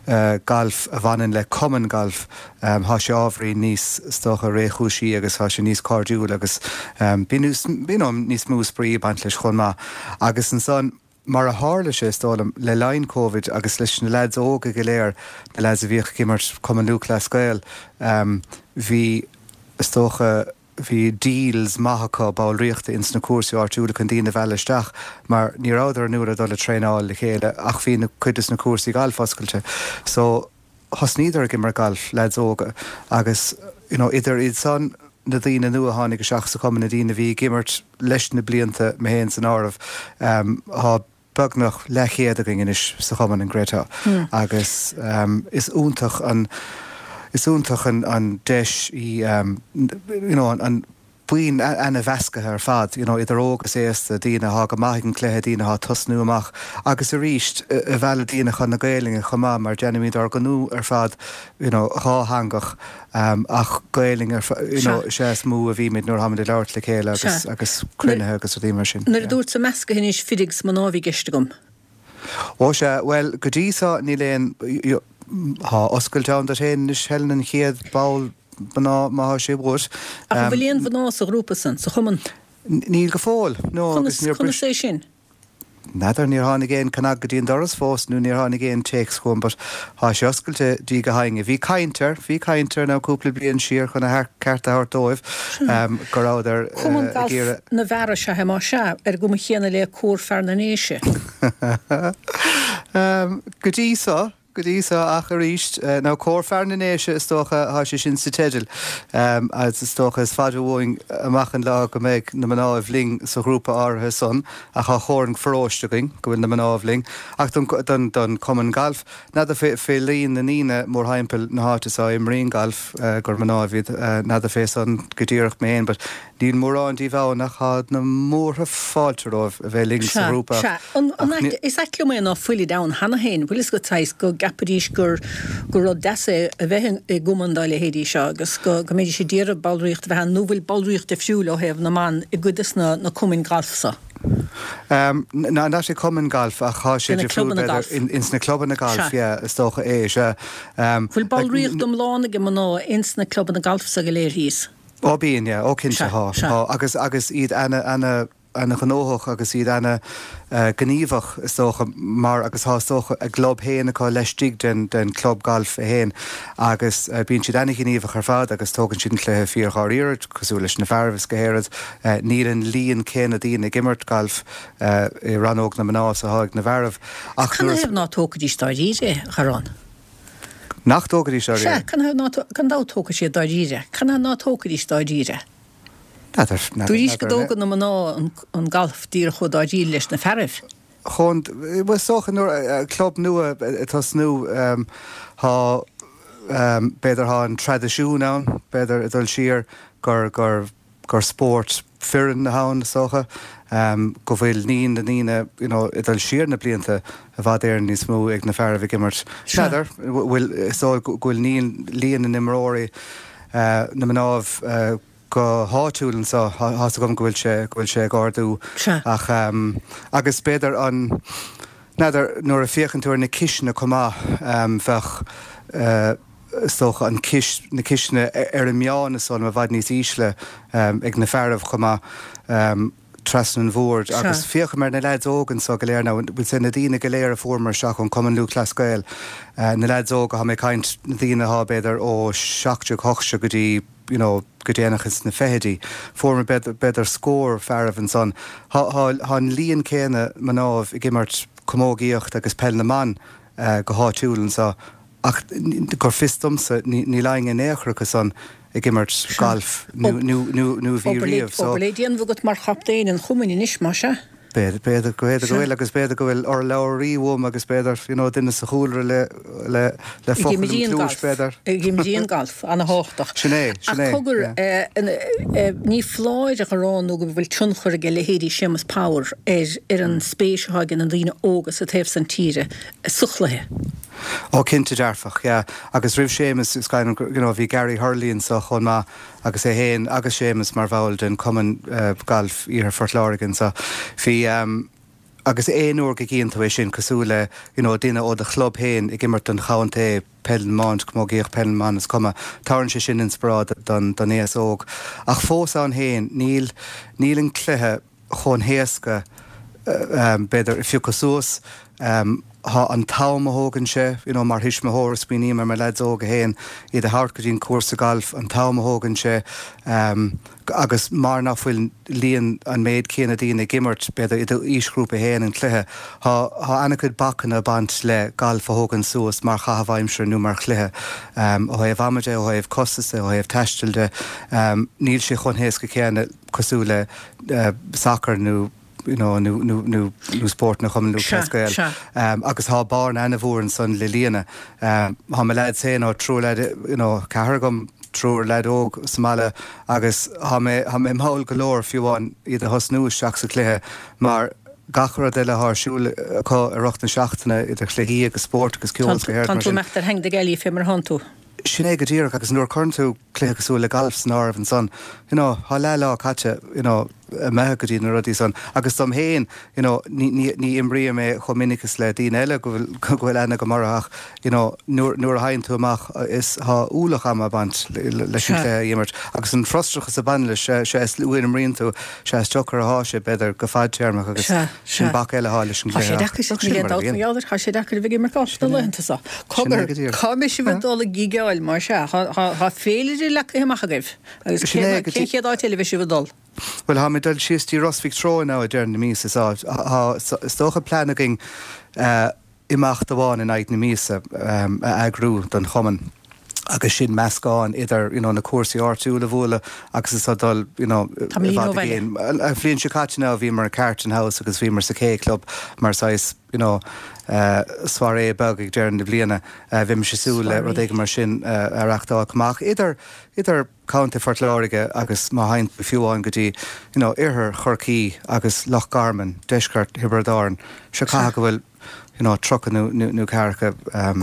uh, galf a bhaineann le cumann galf um, tá sé ábhairín níos is dócha réchúisí agus tá sé níos cairdiúil agus um, bíonn níos mó spraoi ag baint leis chomh maith agus ansan mar a tharla sé is dóigh liom le linn Covid agus leis na lads óga go léir na lads a bhíodh ag imirt Cumann Lúthchleas Gael um, bhí is dócha bhí deals maith acu ballraíochta ins na cúrsaí áitiúla chun daoine a mhealladh isteach mar ní rabhadar an uair a dul ag traenáil le chéile ach bhí na cuid des na cúrsaí galf oscailte. So thosnaíodar ag imirt galf lads óga agus you know, idir iad san na daoine nua a tháinig isteach sa chumann na daoine a bhí ag imirt leis na blianta mé féin san áireamh um, tá beagnach leathchéad againn anois sa chumann in Greta mm. agus um, is iontach an is iontach an, an deis í um, you know, an, an buíon an-mheasctha ar fad, you know, idir óg agus aosta daoine atá go maith ag an cluiche daoine atá ag tosnú amach agus arís ag mealladh daoine chun na Gaelainne chomh maith mar déanaimid ár ngnó ar fad you know, dhátheangach um, ach Gaelainn ar you know, sé is mó a bhímid nuair tháimid ag labhairt le chéile agus, agus cruinnithe agus rudaí mar sin. Nuair a dúirt sa measctha anois fir agus mná a bhí i gceist agam. Ó sé, well go dtí so níl aon Tá oscailte ann duit féin anois Helen an chéad ball mná má tá sé uait. Ach an bhfuil aon mhná sa ghrúpa san, sa chumann? Níl go fóill, no agus níor bris. Conas é sin? N'fheadar, níor tháinig aon cnag go dtí an doras fós nó níor tháinig aon téacs chugam but tá sé oscailte di go héinne. Bhí caint air, bhí caint air now cúpla bliain siar chun a ceart a thabhairt dóibh go rabhadar Cumann ag iarraidh. Galf na bhfear is ea é más ea, ar an gcuma chéanna le Comhar Fear na nDéise. Go dtí so, go dtí so ach arís, nó Comhar Fear na nDéise is dócha, tá sé sin sa teideal, agus is dócha is fada uainn amach an lá go mbeidh na mnáibh linn sa ghrúpa áirithe san, ach tá comhartha an pharóiste againn go bhfuil na mnáibh linn. Ach don, don, don Cumann Gailf, n'fheadar fé, fé líon na ndaoine mórthimpeall na háite so a imríonn galf gur mnáibh iad, n'fheadar fé san go díreach mé féin, but Níl mórán díobh ann ach tá na múrtha fáilte romhaibh a bheith linn sa ghrúpa. Sea, sea. Is ait liom é ná fuilid ann cheana féin. Bhfuil fhios agat saghas go gceapfaidís gur gur rud deas é a bheith i gcumann dá leithéidí seo agus go go mbeidís ag iarraidh ballraíocht a bheith ann nó bhfuil ballraíocht difriúil ó thaobh na mban i gcuid des na na cumainn gailf so? Ná not i cumann gailf ach tá sé difriúil b'fhéidir ins na clubanna gailf, yeah, is dócha é, sea. Bhfuil ballraíocht iomlán ag mná ins na clubanna gailf so go léir thíos? Ó bíonn, yeah, ó cinnte, tá, tá, agus, agus iad ana, ana, ana ghnóthach agus iad ana gníomhach is dócha mar agus tá is dócha a gclub féin acu laistigh den, den club gailf é féin agus bíonn siad ana ghníomhach ar fad agus tógann siad an cluiche fíor dháiríre cosúil leis na fearaibh is go háirid. Níl an líon céanna daoine ag imirt gailf i rannóg na mná is atá ag na bhfearaibh ach nuair a. Canathaobh ná tógfaidís dáiríre é, a Charán? Nach dtógfaidís dáiríre? Sea, canathaobh ná, gan dabht tógfaidh siad dáiríre. Canathaobh ná tógfaidís dáiríre? N'fheadar, n'fheadar, Dúraís go n'fheadar. dtógann na mná an galf díreach chomh dáiríre leis na fearaibh. Chomh, bhuel, is dócha nuair, club nua ag tosnú, tá, b'fhéidir tá an traidisiún ann, b'fhéidir ag dul siar gur, gur, gur spórt foireann ann is dócha, go bhfuil líon na ndaoine you know ag dul siar na blianta i bhfad Éireann níos mó ag na fearaibh ag imirt. N'fheadar, bhfuil, is dóigh go bhfuil líon na n-imreoirí, na mnáibh go háitiúil anseo, tá's agam go bhfuil sé, go bhfuil sé ag ardú ach agus b'fhéidir an, n'fheadar, nuair a féachann tú ar na ciseanna chomh maith, bheadh, is dócha, an cis, na ciseanna ar an meán is dóigh liom i bhfad níos ísle ag na fearaibh chomh maith trasna an bhoird. Agus féachaim ar na leaids óga anso go léir now, bhfuil sé na daoine go léir a fuaireamar isteach ón Cumann Lúthchleas Gael, na leaids óga, tá mé ag caint na daoine athá b'fhéidir ó seacht déag, hocht déag go dtí you know go déanach ins na fichidí. Fuaireamar b'fhéidir, b'fhéidir scór fearaibh ansan. Thá, thá, thá an líon céanna mnáibh ag imirt camógaíocht agus peil na mban go háitiúil anso. Ach gur fios domsa, níl éinne in aon chor acu san ag imirt gailf nó bhí riamh. So. Obair le déanamh agat mar chaptaen an chumainn anois, más ea? B'fhéidir, b'fhéidir go bhfuil agus b'fhéidir go bhfuil urlabhraí uaim agus b'fhéidir, you know, duine sa chúlra le, le, le focal im chluais, b'fhéidir. Ag imríonn galf, ana-thábhachtach. Sin é, sin é. Ach cogar, ní foláir a rá nó go bhfuil tionchar ag leithéidí Séamus Power ar, ar an spéis atá ag na daoine óga sa taobh san tíre sa chluiche. Ó cinnte dearfach, yeah. Agus roimh Séamus, is cuimhin liom, you know, bhí Gary Hurley anso chomh maith agus é féin agus Séamus mar bhall den Cumann Gailf Iarthar Phort Láirge anso. Bhí, agus aon uair go gcíonn tú é sin, cosúil le, you know, duine ó do chlub féin ag imirt don chontae, peil na mban, camógaíocht, peil na mban, is cuma, tabharann sé sin inspioráid don, don aos óg. Ach fós ann féin, níl, níl an cluiche chomh héasca, b'fhéidir, a phiocadh suas. Tá an t-am a thógann sé, you know, mar thuismitheoir, smaoiním ar mo leaids óga féin, iad a thabhairt go dtí an cúrsa gailf, an t-am a thógann sé, agus mar nach bhfuil líon an méid céanna daoine ag imirt, b'fhéidir, i d'aoisghrúpa féin an cluiche, tá tá an-chuid bacanna ag baint le galf a thógaint suas mar chaitheamh aimsire nó mar chluiche. Ó thaobh ama de, ó thaobh costas de, ó thaobh taistil de, níl sé chomh héasca céanna cosúil le sacar nó you know, nó, nó, nó, nó spórt na Chumann Lúthchleas Gael. Agus tá bearna ana-mhór ansan le líonadh. Tá mo leaids féin, tá triúr leaid, you know, ceathrar agam, triúr leaid óg sa mbaile agus tá mé, tá mé mall go leor fiú amháin iad a thosnú isteach sa chluiche mar gach rud eile atá ar siúl acu i rith na seachtaine idir chluichí agus spórt agus ceol is go háirithe mar sin. Tá tú ag imeacht ar theanga na gealaí fé mar atánn tú. Sin é go díreach, agus nuair a chuireann tú cluiche cosúil le galf san áireamh ansan, you know, tá leath lá caite, you know, imithe go dtí na rudaí san. Agus dom féin, you know, ní, ní, ní imrím é chomh minic is le daoine eile go bhfuil, go bhfuil aithne agam orthu ach, you know, nuair, nuair a thagann tú amach is, tá ualach ama ag baint leis an chluiche a imirt. Agus an frustrachas a bhaineann leis, sea, is luaithe a imríonn tú, sea, is deacair atá sé, b'fhéidir, go fadtéarmach agus sin bac eile atá leis an Tá sé gcluiche ach deacair, sin níl mar a aon dabht bhíonn. mar gheall air, tá sé deacair a bheith ag imirt galf sna laethanta seo. Sin é Cogar, go díreach. cá mbeidh sibh ag dul ag gigeáil mar sea? Tá féilire leagtha amach agaibh agus Sin é cén go cén dtí. chéad áit eile a bheidh sibh ag dul? Bhuel, táimid ag dul síos dtí Ros Mhic Treoir now ag deireadh na míosa so tá, is dócha, plean againn imeacht amháin in aghaidh na míosa a eagrú don chumann agus sin meascán idir you know na cúrsaí áitiúla a bhualadh agus is dul you know i Tamaillín ó bhfad i bhaile. gcéin. An bhliain seo caite now bhíomar i Carton House agus bhíomar sa K Club mar saghas you know soirée beag ag deireadh na bliana. Bheimis ag súil le rud Soirée. éigin mar sin a reachtáil chomh maith idir idir Contae Phort Láirge agus má théann tú fiú amháin go dtí you know oirthear Chorcaí agus Loch Garman, deisceart Thiobraid Árann, seo Sea. caithfidh go bhfuil you know tríocha nó nó nó ceathracha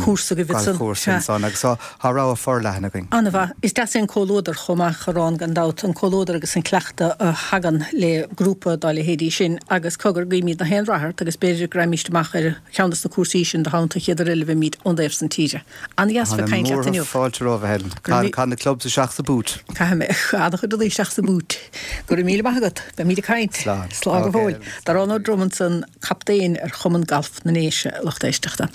Cúrsa agaibh ansan. galfchúrsa Sea. ansan agus tá tá rogha forleathan againn. An-mhaith. Is deas é an comhluadar chomh maith, a Arán, gan dabht, an comhluadar agus an cleachtadh a thagann le grúpa dá leithéidí sin. Agus cogar, guímid gach aon rath ort agus b'fhéidir go raghaimíst amach ar cheann des na cúrsaí sin do theannta an chéad uair eile a bheimid ón dtaobh san tíre. An-dheas Tá bheith na ag caint leat múrtha inniu. fáilte romhat, a Helen. Go raibh Caith caith na clubs isteach sa búit. Caithfidh mé an-chuid rudaí isteach sa búit. Go raibh míle maith agat. Beimid ag caint. Slán. Slán go Ok, fóill. Helen. Darán Ó Droim ansan, captaen ar Chumann Gailf na nDéise. Lucht éisteachta.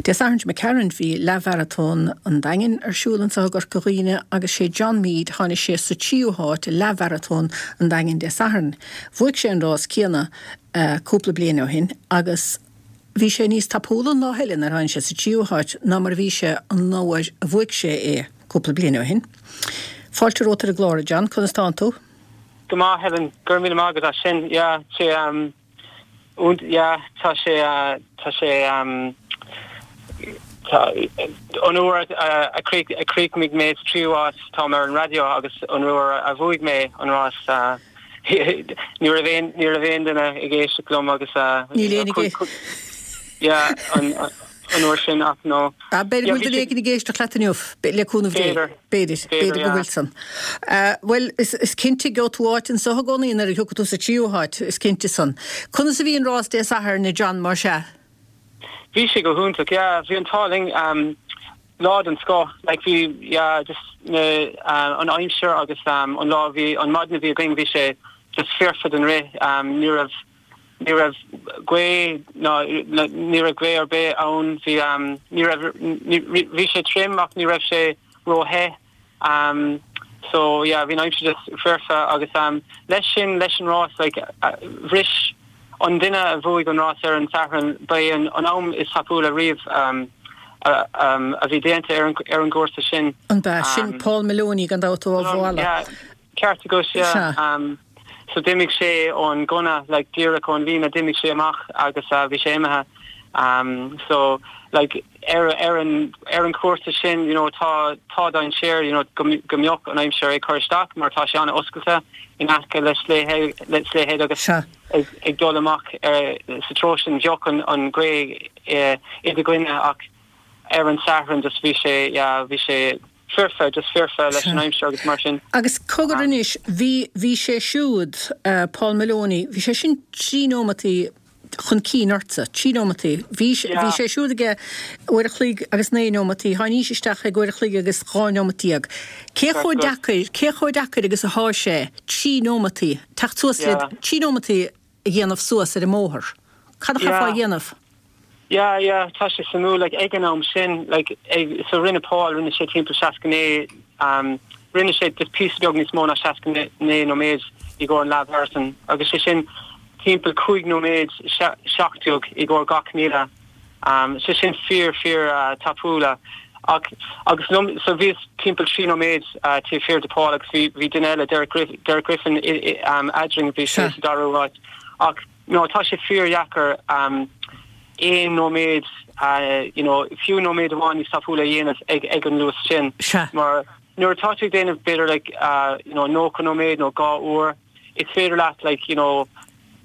Dé Sathairn seo imigh tharainn bhí leathmharatón an Daingin ar siúl anseo i gCorca Dhuibhne agus sé John Meade tháinig sé sa tríú háit i leathmharatón an Daingin Dé Sathairn. Bhuaigh sé an rás céanna cúpla bliain ó shin agus bhí sé níos tapúla an lá eile nuair a tháinig sé sa tríú háit ná mar a bhí sé an uair a bhuaigh sé é cúpla bliain ó shin. Fáilte romhat ar an gclár, a John, conas tánn tú? Go maith, Helen, go raibh míle maith agat as sin. Yeah, sé um, und yeah, tá sé uh, tá sé um, tá, an uair a, a chríochnaigh mé sa tríú háit táim ar an raidió agus an uair a bhuaigh mé an rás uh, ní raibh aon ní raibh aon duine ag éisteacht liom agus Níl aon ag yeah an an uair sin ach no. Ah, b'fhéidir go bhfuil duine éigin ag éisteacht leat inniu, le cúnamh Dé. B'fhéidir, b'fhéidir go bhfuil san. Bhuel, is is cinnte gheobhaidh tú áit anso i gcónaí nuair a thiocfaidh tú sa tríú háit, is cinnte san. Conas a bhí an rás Dé Sathairn, a John, mar sea? Bhí sé go hiontach, yeah, bhí an t-ádh linn um, lá den scoth, like bhí yeah, just na uh, an aimsir agus um, an lá bhí an maidin a bhí againn bhí sé just foirfe don rith um, ní raibh ní raibh gaoth ná ní raibh gaoth ar bith ann bhí um, ní raibh bhí sé tirim ach ní raibh sé róthe um, so yeah bhí an aimsir just foirfe agus um, leis sin leis an rás like uh, bhris an duine a bhuaigh an rás ar an Satharn ba é an, an am is tapúla riamh um, a, um, a bhí déanta ar an, ar an gcúrsa sin. An ba sin um, Paul Maloney gan dabht ó Bhuala. Yeah, ceart agat yeah. Um, so d'imigh sé ón gunna like díreach ón líne d'imigh sé amach agus uh, bhí sé imithe um, so like ar ar an ar an cúrsa sin you know tá tá dainséar you know go go mbeadh an aimsir ag cur isteach mar tá sé an-oscailte in aice le Slea le Slea Head agus ag, ag dul amach ar sa treo sin bheadh an an ghaoth eh, i do choinne ach ar an Satharn just bhí sé yeah, bhí sé foirfe just foirfe leis an aimsir agus mar sin. Agus cogar anois bhí bhí sé siúd uh, Paul Maloney, bhí sé sin trí nóimeataí chun cinn ortsa, trí nóimeataí. Bhí bhí sé siúd aige uair a chloig agus naoi nóimeataí, tháinís isteach ag uair a chloig agus dhá nóimeat déag. Cé chomh deacair, cé chomh deacair agus atá sé trí nóimeataí, teacht suas le trí nóimeataí a dhéanamh suas ar an mbóthar. Cad a chaithfeá a dhéanamh? Yeah, yeah, tá sé suimiúil like ag an am sin like ag, so rinne Paul rinne sé timpeall seasca naoi um, rinne sé just píosa beag níos mó ná seasca naoi nóiméad i gcomhair an leath-mharatón agus sé sin timpeall cúig nóiméad seacht déag i gcomhair gach míle um, sé sin fíor fíor uh, tapúla ach agus no, so bhí timpeall trí nóiméad uh, taobh thiar de Paul agus bhí bhí duine eile Derek Griff, Derek Griffin i, i, um, eadrainn bhí sé sa dara háit ach no tá sé fíor dheacair um, aon nóiméad uh, you know, fiú nóiméad amháin níos tapúla a dhéanamh ag ag an luas sin mar nuair atá tú ag déanamh b'fhéidir like uh, you know, nócha nóiméad nó dhá uair is féidir leat like you know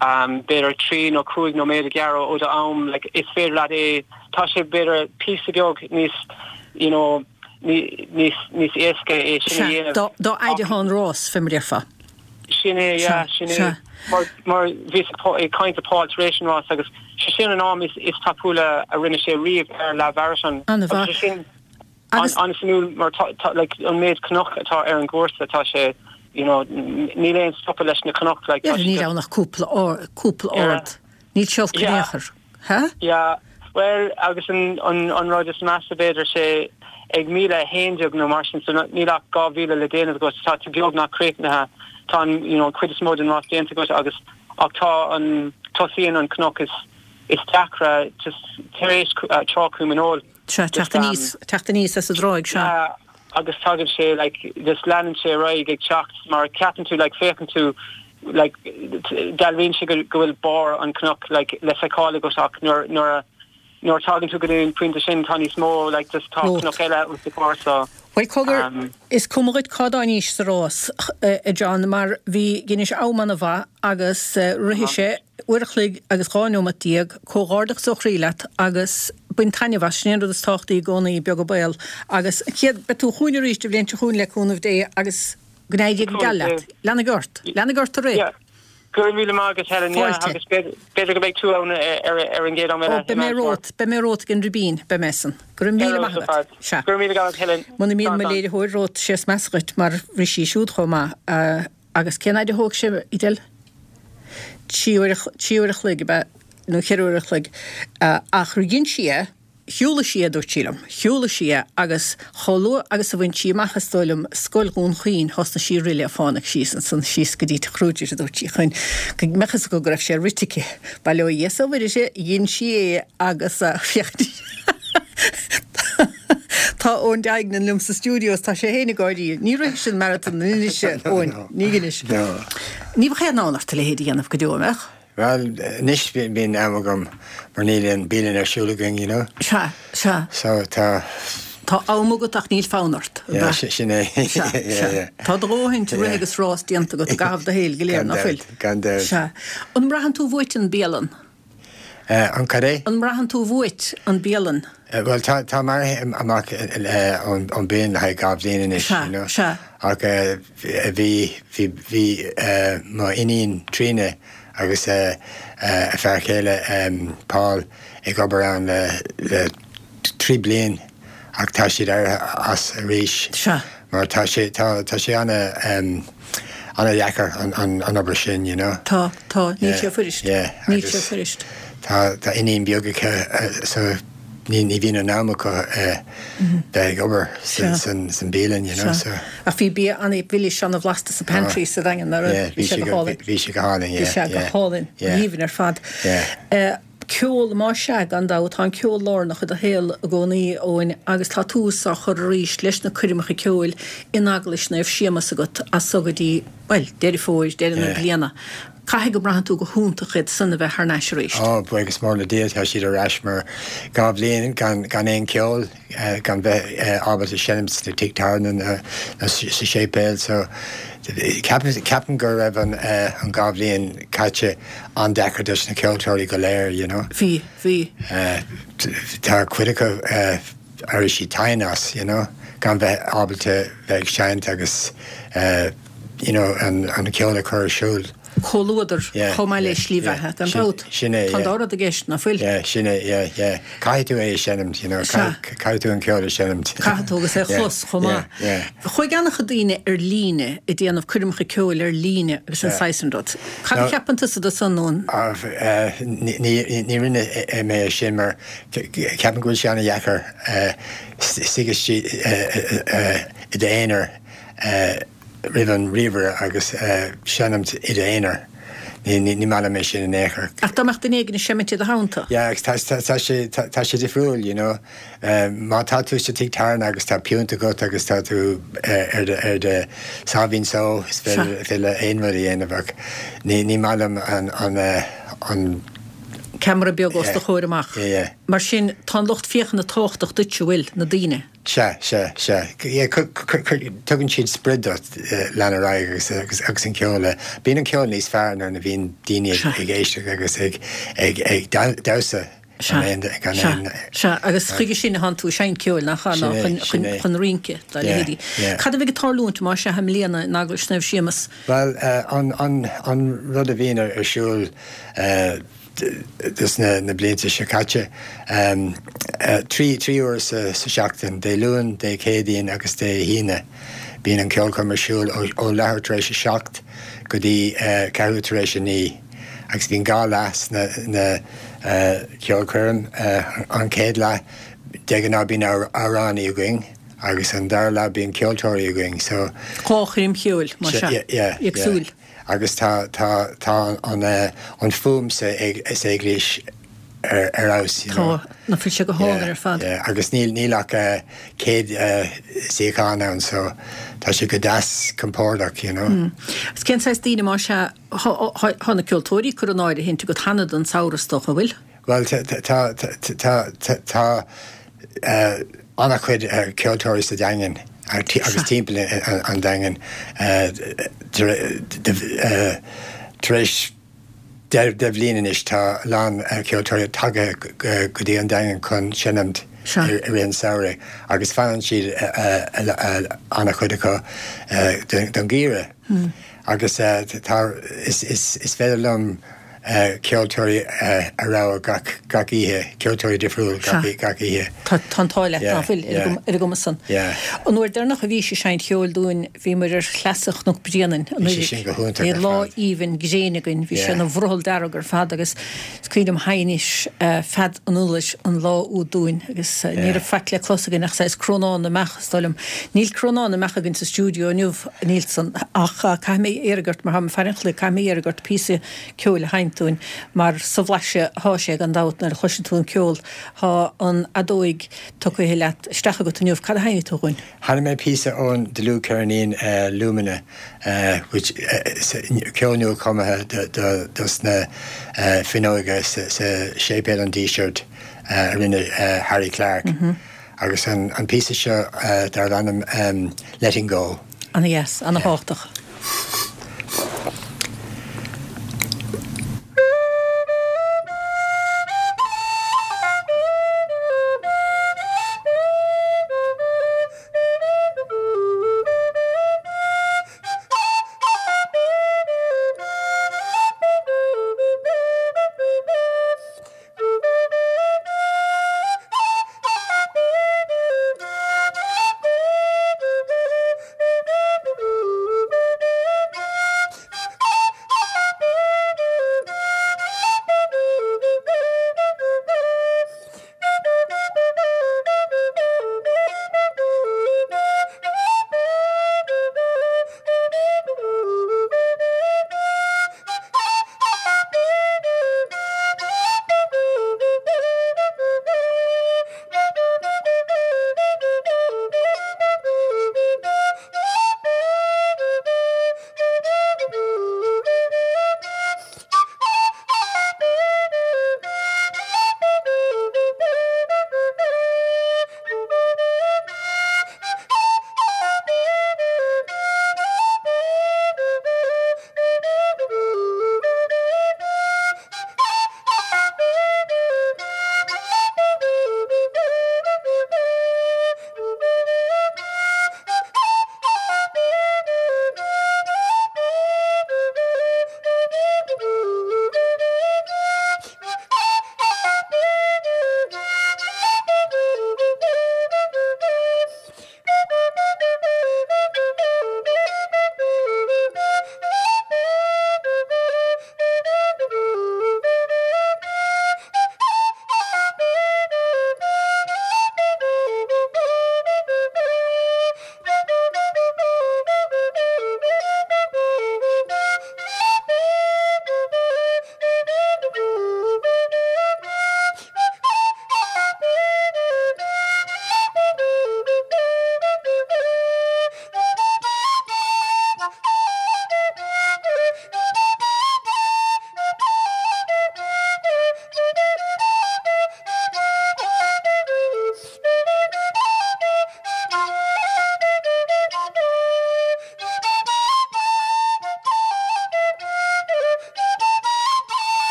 um, b'fhéidir trí nó cúig nóiméad a ghearradh ó do am like is féidir leat é tá sé b'fhéidir píosa beag níos you know níos níos éasca é sin a dhéanamh. Dá dá fhaide atá an rás fé mar a déarfá. Sin é yeah, sin é mar mar bhí ag caint le Paul tar éis an rás agus sé sin an am is is tapúla a rinne sé riamh ar leath-mharatón. An-mhaith. Sin an-suimiúil mar like an méid cnoc atá ar an gcúrsa tá sé you know níl aon stopadh leis na cnoc like Yeah, níl ann ach cúpla cúpla ard. Níl sé olc in aon chor. Ha? Yeah, well agus an an an rud is measa b'fhéidir sé ag míle a haon déag nó mar sin so níl ach dhá mhíle le déanamh agat tá tú beagnach críochnaithe tá an you know cuid is mó den rás déanta agat agus ach tá an tosaíonn an cnoc is is deacra just tar éis uh, Trá Choim an Óil. Sea teacht aníos teacht aníos as an dtráigh sea. Yeah, agus tagann sé like just leanann sé ar aghaidh ag teacht mar ceapann tú like féachann tú like dealraíonn sé go go bhfuil barr an cnoc like le feiceáil agat ach nuair nuair a nuair tagann tú go dtí an pointe sin tá níos mó like just tá cnoc eile os do chomhair so Bhuel cogar is cuma dhuit cá dtáinís sa rás a John mar bhí dheinis am an-mhaith agus rith sé uair a chloig agus dhá nóimeat déag, comhghairdeachas ó chroí leat agus bain taitneamh as, sin é an rud is tábhachtaí i gcónaí, beag an baol agus chéad beidh tú chugainn arís an bhliain seo chugainn le cúnamh Dé agus go n-éirí go geal leat. Lean ort, lean ort a rith. Go raibh míle maith agat Helen, yeah, Fáilte. agus b'fhéidir go mbeidh tú ann ar ar an gcéad am eile. Ó, beidh mé romhat, beidh mé romhat ag an Ribín, beidh mé san. Go raibh míle maith agat. Sea. Go raibh míle agat Helen. Muna mbíonn mo léiritheoir romhat, sé is measa dhuit mar rith sí siúd chomh maith. Agus cén fhaid a thóg sé, Edel? Trí uair, trí uair a chloig, ab ea? Nó ceithre uair a chloig. Ach dhein sí é, Shiúladh sí é, a dúirt sí liom. Shiúladh sí é agus chomh luath agus a bhain sí amach, is dóigh liom, Scoil Dhún Chaoin, thosnaigh sí ag rith le fánaidh síos ansan, síos go dtí Tigh Kruger, a dúirt sí, chun go mbeadh fhios acu go raibh sé rite aici. Bail ó Dhia is ó Mhuire uirthi, dhein sí é agus féach Tá Eoin Duignan liom sa stiúideo is tá sé féin ag gáirí. Ní rithfinn maratón anois, Eoin, ní anois. Ní bheadh aon fhonn ort a leithéid a dhéanamh go deo, an mbeadh? Bhuel, anois bíonn am agam mar níl aon bialann ar siúl againn, you know. Sea, sea. So tá Tá am agat ach níl fonn ort. Yeah, sin é. Tá do dhóthain rith agus rás déanta agat i gcaitheamh do shaoil go léir, nach bhfuil? Gan dabht. Sea. An mbraitheann tú uait an bialann? An cad é? An mbraitheann tú uait an bialann? Bhuel, tá tá mé imithe amach ón ón bialann le haghaidh dhá bhliain anois, you know. Sea, sea. Ach bhí bhí bhí mo iníon Tríona agus a fear céile Paul ag obair ann le le trí bliain ach tá siad éirithe as arís. Sea. Mar tá sé tá tá sé ana um, ana dheacair an, an, an obair sin, you know. Tá, tá, níl sé fuirist. Yeah, Níl sé fuirist. Tá tá iníon beag acu so ní ní bhíonn an am acu bheith ag obair san san san bialann, you know, so. Ach bhí bia an-mhilis an-bhlasta sa pantry sa Daingean, nach raibh? Bhí sé go hálainn. Bhí sé go hálainn, yeah. Bhí sé go hálainn, aoibhinn ar fad. Yeah. Ceol, más ea, gan dabht, tá an ceol lárnach i do shaol i gcónaí, Eoin, agus tá tús á chur arís leis na coirmeacha ceoil in Eaglais Naomh Séamus agat as so go dtí, bhuel, Deireadh Fómhair, deireadh na bliana. Caithfidh go mbraitheann tú go hiontach iad san a bheith thar n-ais arís. Ó, buíochas mór le Dia, tá siad ar ais mar dhá bhliain gan gan aon cheol, gan bheith ábalta seinm sna tigh tábhairne nó sa séipéal so ceapaim ceapaim go raibh an an dhá bhliain caite an-deacair dos na ceoltóirí go léir, you know. Bhí, bhí. Tá cuid acu d'éirigh siad tinn as, you know, gan bheith ábalta bheith ag seinnt agus you know, an an ceol a chur ar siúl. Comhluadar chomh maith le slí bheatha, gan dabht. Sin é, Tá an dá rud i gceist, nach bhfuil? Yeah, sin é, yeah, yeah. Caithfidh tú é a sheinmt, you know, caithfidh tú an ceol a sheinmt. Caithfidh tú agus é a chlos chomh maith. Chuaigh an-chuid daoine ar líne ag déanamh coirmeacha ceoil ar líne agus an saghas sin rud. Cad a cheapann tusa de san, Eoin? Ní rinne mé é sin mar ceapaim go bhfuil sé an-dheacair suí i d'aonar roimh an ríomhaire agus seinmt i d'aonar. Ní ní maith liom é sin in aon chor. Ach dá mbeadh duine éigin ag seimint i do theannta? Yeah, agus tá tá sé tá sé difriúil, you know. Má tá tú sa tigh tábhairne agus tá piúnt agat agus tá tú ar do ar do sáimhín só, is féidir aon rud a dhéanamh ach ní ní maith liom an an an ceamara beag os do chomhair amach. Yeah, yeah. Mar sin, tá an lucht féachana tábhachtach duit, an bhfuil, na daoine? Sea, sea, sea. Yeah, tugann siad sprid duit lean ar aghaidh agus agus agus an ceol. Bíonn an ceol níos fearr nuair a bhíonn daoine ag éisteacht agus ag ag ag damhsa. Sea, sea, sea. Agus chuige sin a thánn tú ag seinnt ceoil, nach ea, ná chun chun chun rince dá leithéidí. Cad a bheidh ag tarlúint más ea i mbliana in Eaglais Naomh Séamus? Bhuel, an an an rud a bhíonn ar siúl dos na na blianta seo caite. Trí trí uair sa sa seachtain, Dé Luain, Dé Céadaoin agus Dé hAoine. Bíonn an ceolchoirm ar siúl ó ó leathuair tar éis a seacht go dtí ceathrú tar éis a naoi. Agus bíonn dhá leath sna na ceolchoirm. An chéad leath de ghnáth bíonn amhránaí againn agus an dara leath bíonn ceoltóirí againn. So. Dhá choirm cheoil, más ea. Yeah, yeah. Éagsúil. Agus tá tá tá an an fuaim sa sa eaglais ar ar fheabhas, you know. Tá, nach bhfuil sé go hálainn ar fad. Yeah, agus níl níl ach céad suíochán ann so tá sé go deas compordach, you know. Agus cén saghas daoine más ea, thá na ceoltóirí curtha in áirithint agat cheana don samhradh is dócha, an bhfuil? Bhuel tá tá tá tá tá an-chuid ceoltóirí sa Daingean agus timpeall an Daingin tar éis deich bhliain anois tá a lán ceoltóirí tagtha go dtí an Daingean chun seinmt i rith an samhraidh agus fanann siad an-chuid acu don gheimhreadh agus tá is féidir liom ceoltóirí a rogha gach gach oíche, ceoltóirí difriúil gach gach oíche. Tá an t-ádh leat, ná fuil, ar an gcuma san. An uair deireanach a bhís ag seinnt cheoil dúinn bhíomar ar shleasa Chnoc Bréanainn Bhí sé sin go hiontach Bhí ar lá fad. aoibhinn gréine againn, bhí sé ina bhrothall dearg ar fad agus is cuimhin liom sheinnis fead an iolar an lá úd dúinn agus ní raibh faic le clos againn ach saghas crónán na mbeach, is dóigh liom. Níl crónán na mbeach againn sa stiúideo inniu, a Neilson, ach caithfidh mé iarraidh ort, mar táim ag faire an chloig, caithfidh mé iarraidh ort píosa ceoil a sheinnt dúinn, mar sa bhlaiseadh athá sé gan dabht nuair a chloiseann tú an ceol. Thá an fheadóig tugtha leat isteach agat inniu. Cad a sheinnfidh tú dhúinn? Sheinnfidh mé píosa ón dlúthcheirnín Lumina, which ceol nua-chumtha dos na fuinneoga sa Séipéal an Dísirt a rinne Harry Clarke. Agus an, an píosa seo uh, dar ainm um, Letting Go. Ana-dheas, ana-thábhachtach.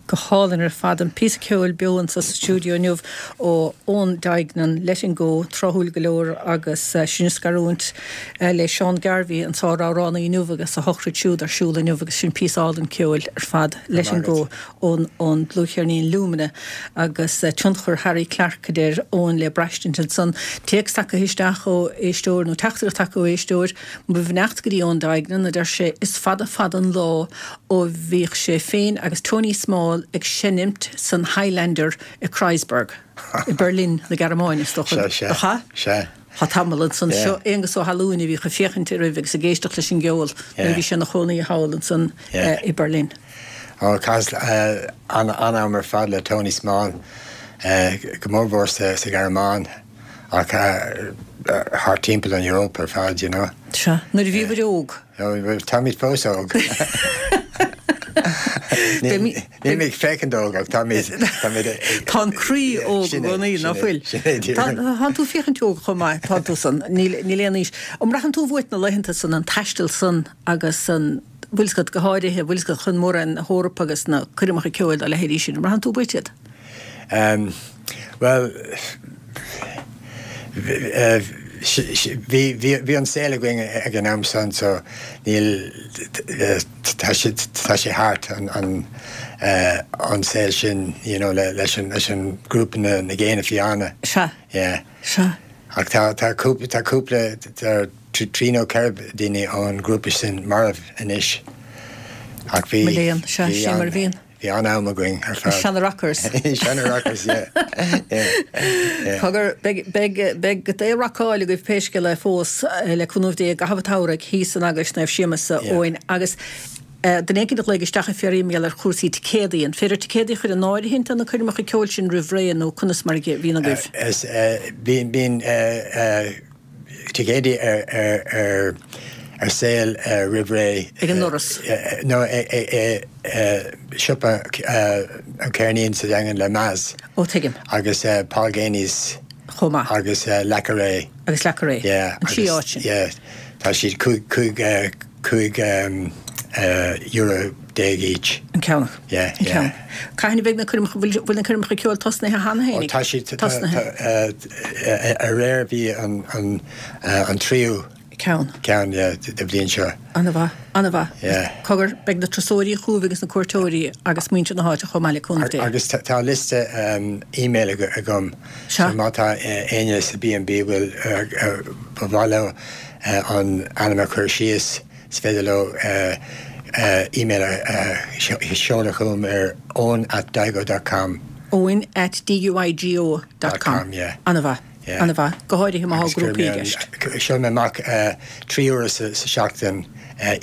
Go hálainn ar fad an píosa ceoil beo sa stiúideo inniu ó Eoin Duignan Letting Go tráthúil go leor agus uh, sin scarúint uh, le Seán Garvey an sáramhránaí inniu agus a shochraid siúd ar siúl inniu agus sin píosa álainn ceoil ar fad Letting Go ón ón dlúthcheirnín Lumina agus uh, tionchar Harry Clarke deir Eoin le braistint ansan téacs tagtha isteach ó éisteoir nó teachtaireacht tagtha ó éisteoir mo bheannacht go dtí Eoin Duignan a deir sé is fada fada an lá ó bhíodh sé féin agus Tony Small ag seinnt san Highlander i Kreuzberg i Berlin na Gearmáine Sea sea. Tá tamall san seo Aonghus Ó hAlúin a bhí ag féachaint air agus ag éisteacht leis an gceol nuair bhí sé ina chónaí thall ansan i Berlin. Ó chaitheas an-am ar fad le Tony Small go mórmhór sa Ghearmáin ach thart timpeall an Eoraip ar fad, you know. Sea, nuair a bhí muid óg. Táimid fós óg. Níl mé ag féachaint óg ach tá Tá an croí óg i gcónaí nach bhfuil. Tá tú féachaint óg chomh maith tá tú san níl aon aois. An mbraitheann tú uait na laethanta san an taisteal san agus an bhfuil a fhios agat go háirithe bhfuil a fhios agat chun mórán na hEorpa agus na coirmeacha ceoil dá leithéidí sin. An mbraitheann tú uait iad? Well, bhí bhí an saol againn ag an am san so níl tá sé tá sé thart an an an saol sin you know le leis an leis an grúpa na na Géanna Fiáine. Sea. Yeah. Sea. Ach tá tá cúpla tá cúpla tá trí nó ceithre daoine ón grúpa sin marbh anois. Ach bhí Mo léan, sea, sin mar a bhíonn. Bhí an-am againn ar fad. Seana rockers. Seana rockers, yeah. Yeah. Yeah. Cogar, beidh beidh beidh go dté rocáil agaibh pé scéal é fós le cúnamh Dé i gcaitheamh an tsamhraidh thíos in Eaglais Naomh Séamus a Eoin agus duine éicint a ghlaoigh isteach ag fiafraí mar gheall ar chúrsaí ticéadaí. An féidir ticéadaí a chur in áirithint do na coirmeacha ceoil sin roimh ré nó conas mar a bhíonn agaibh? Is bíonn bíonn ticéadaí ar ar ar ar sale roimh ré. Ag an ndoras? No, siopa an Ceirnín sa Daingean le Maz. Ó, tuigim. Agus Paul Geaney's. Chomh maith. Agus Leacairé. Agus Leacairé. Yeah. An trí áit sin. Yeah. Tá siad cúig cúig cúig euro déag each. An ceann. Yeah, An ceann. yeah. Cathain a bheidh na coirmeacha, bhfuil bhfuil na coirmeacha ceoil tosnaithe cheana Ó, féinig? tá siad Tosnaithe. Aréir bhí an an an tríú Ceann. ceann, yeah, de bhliain seo. An-mhaith, an-mhaith. Yeah. Cogar, beidh na turasóirí chugaibh agus na cuairteoirí agus muintir na háite chomh maith le cúnamh Dé. Agus tá liosta email agam. Sea. So má tá éinne sa B and B bhfuil ba mhaith leo an ainm a chur síos, is féidir leo email a sheoladh chugam ar eoin at digo dot com. Eoin at D-U-I-G-O dot com. Dot com, yeah. An-mhaith. Yeah. An-mhaith. Go háirithe má tá grúpaí i gceist. Sheol mé amach trí huaire sa seachtain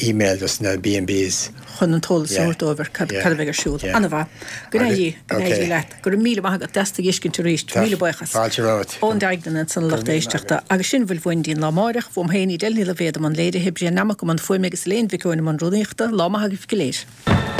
email dos na B and Bs. Chun an t-eolas a thabhairt dóibh ar cad a bheidh ar siúl. An-mhaith. Go n-éirí, go n-éirí leat. Go raibh míle maith agat. Deas tú a fheiscint arís. Míle buíochas. Fáilte romhat. Eoin Duignan ansan a lucht éisteachta. Agus sin a bhfuil uainn go dtí an lá amáireach. Uaim féin, Edel Ní Loibhéad i mbun léirithe, Brian Nammock i mbun fuaime agus Elaine Mhic Eoin i mbun rúnaíochta. Lá maith agaibh go léir.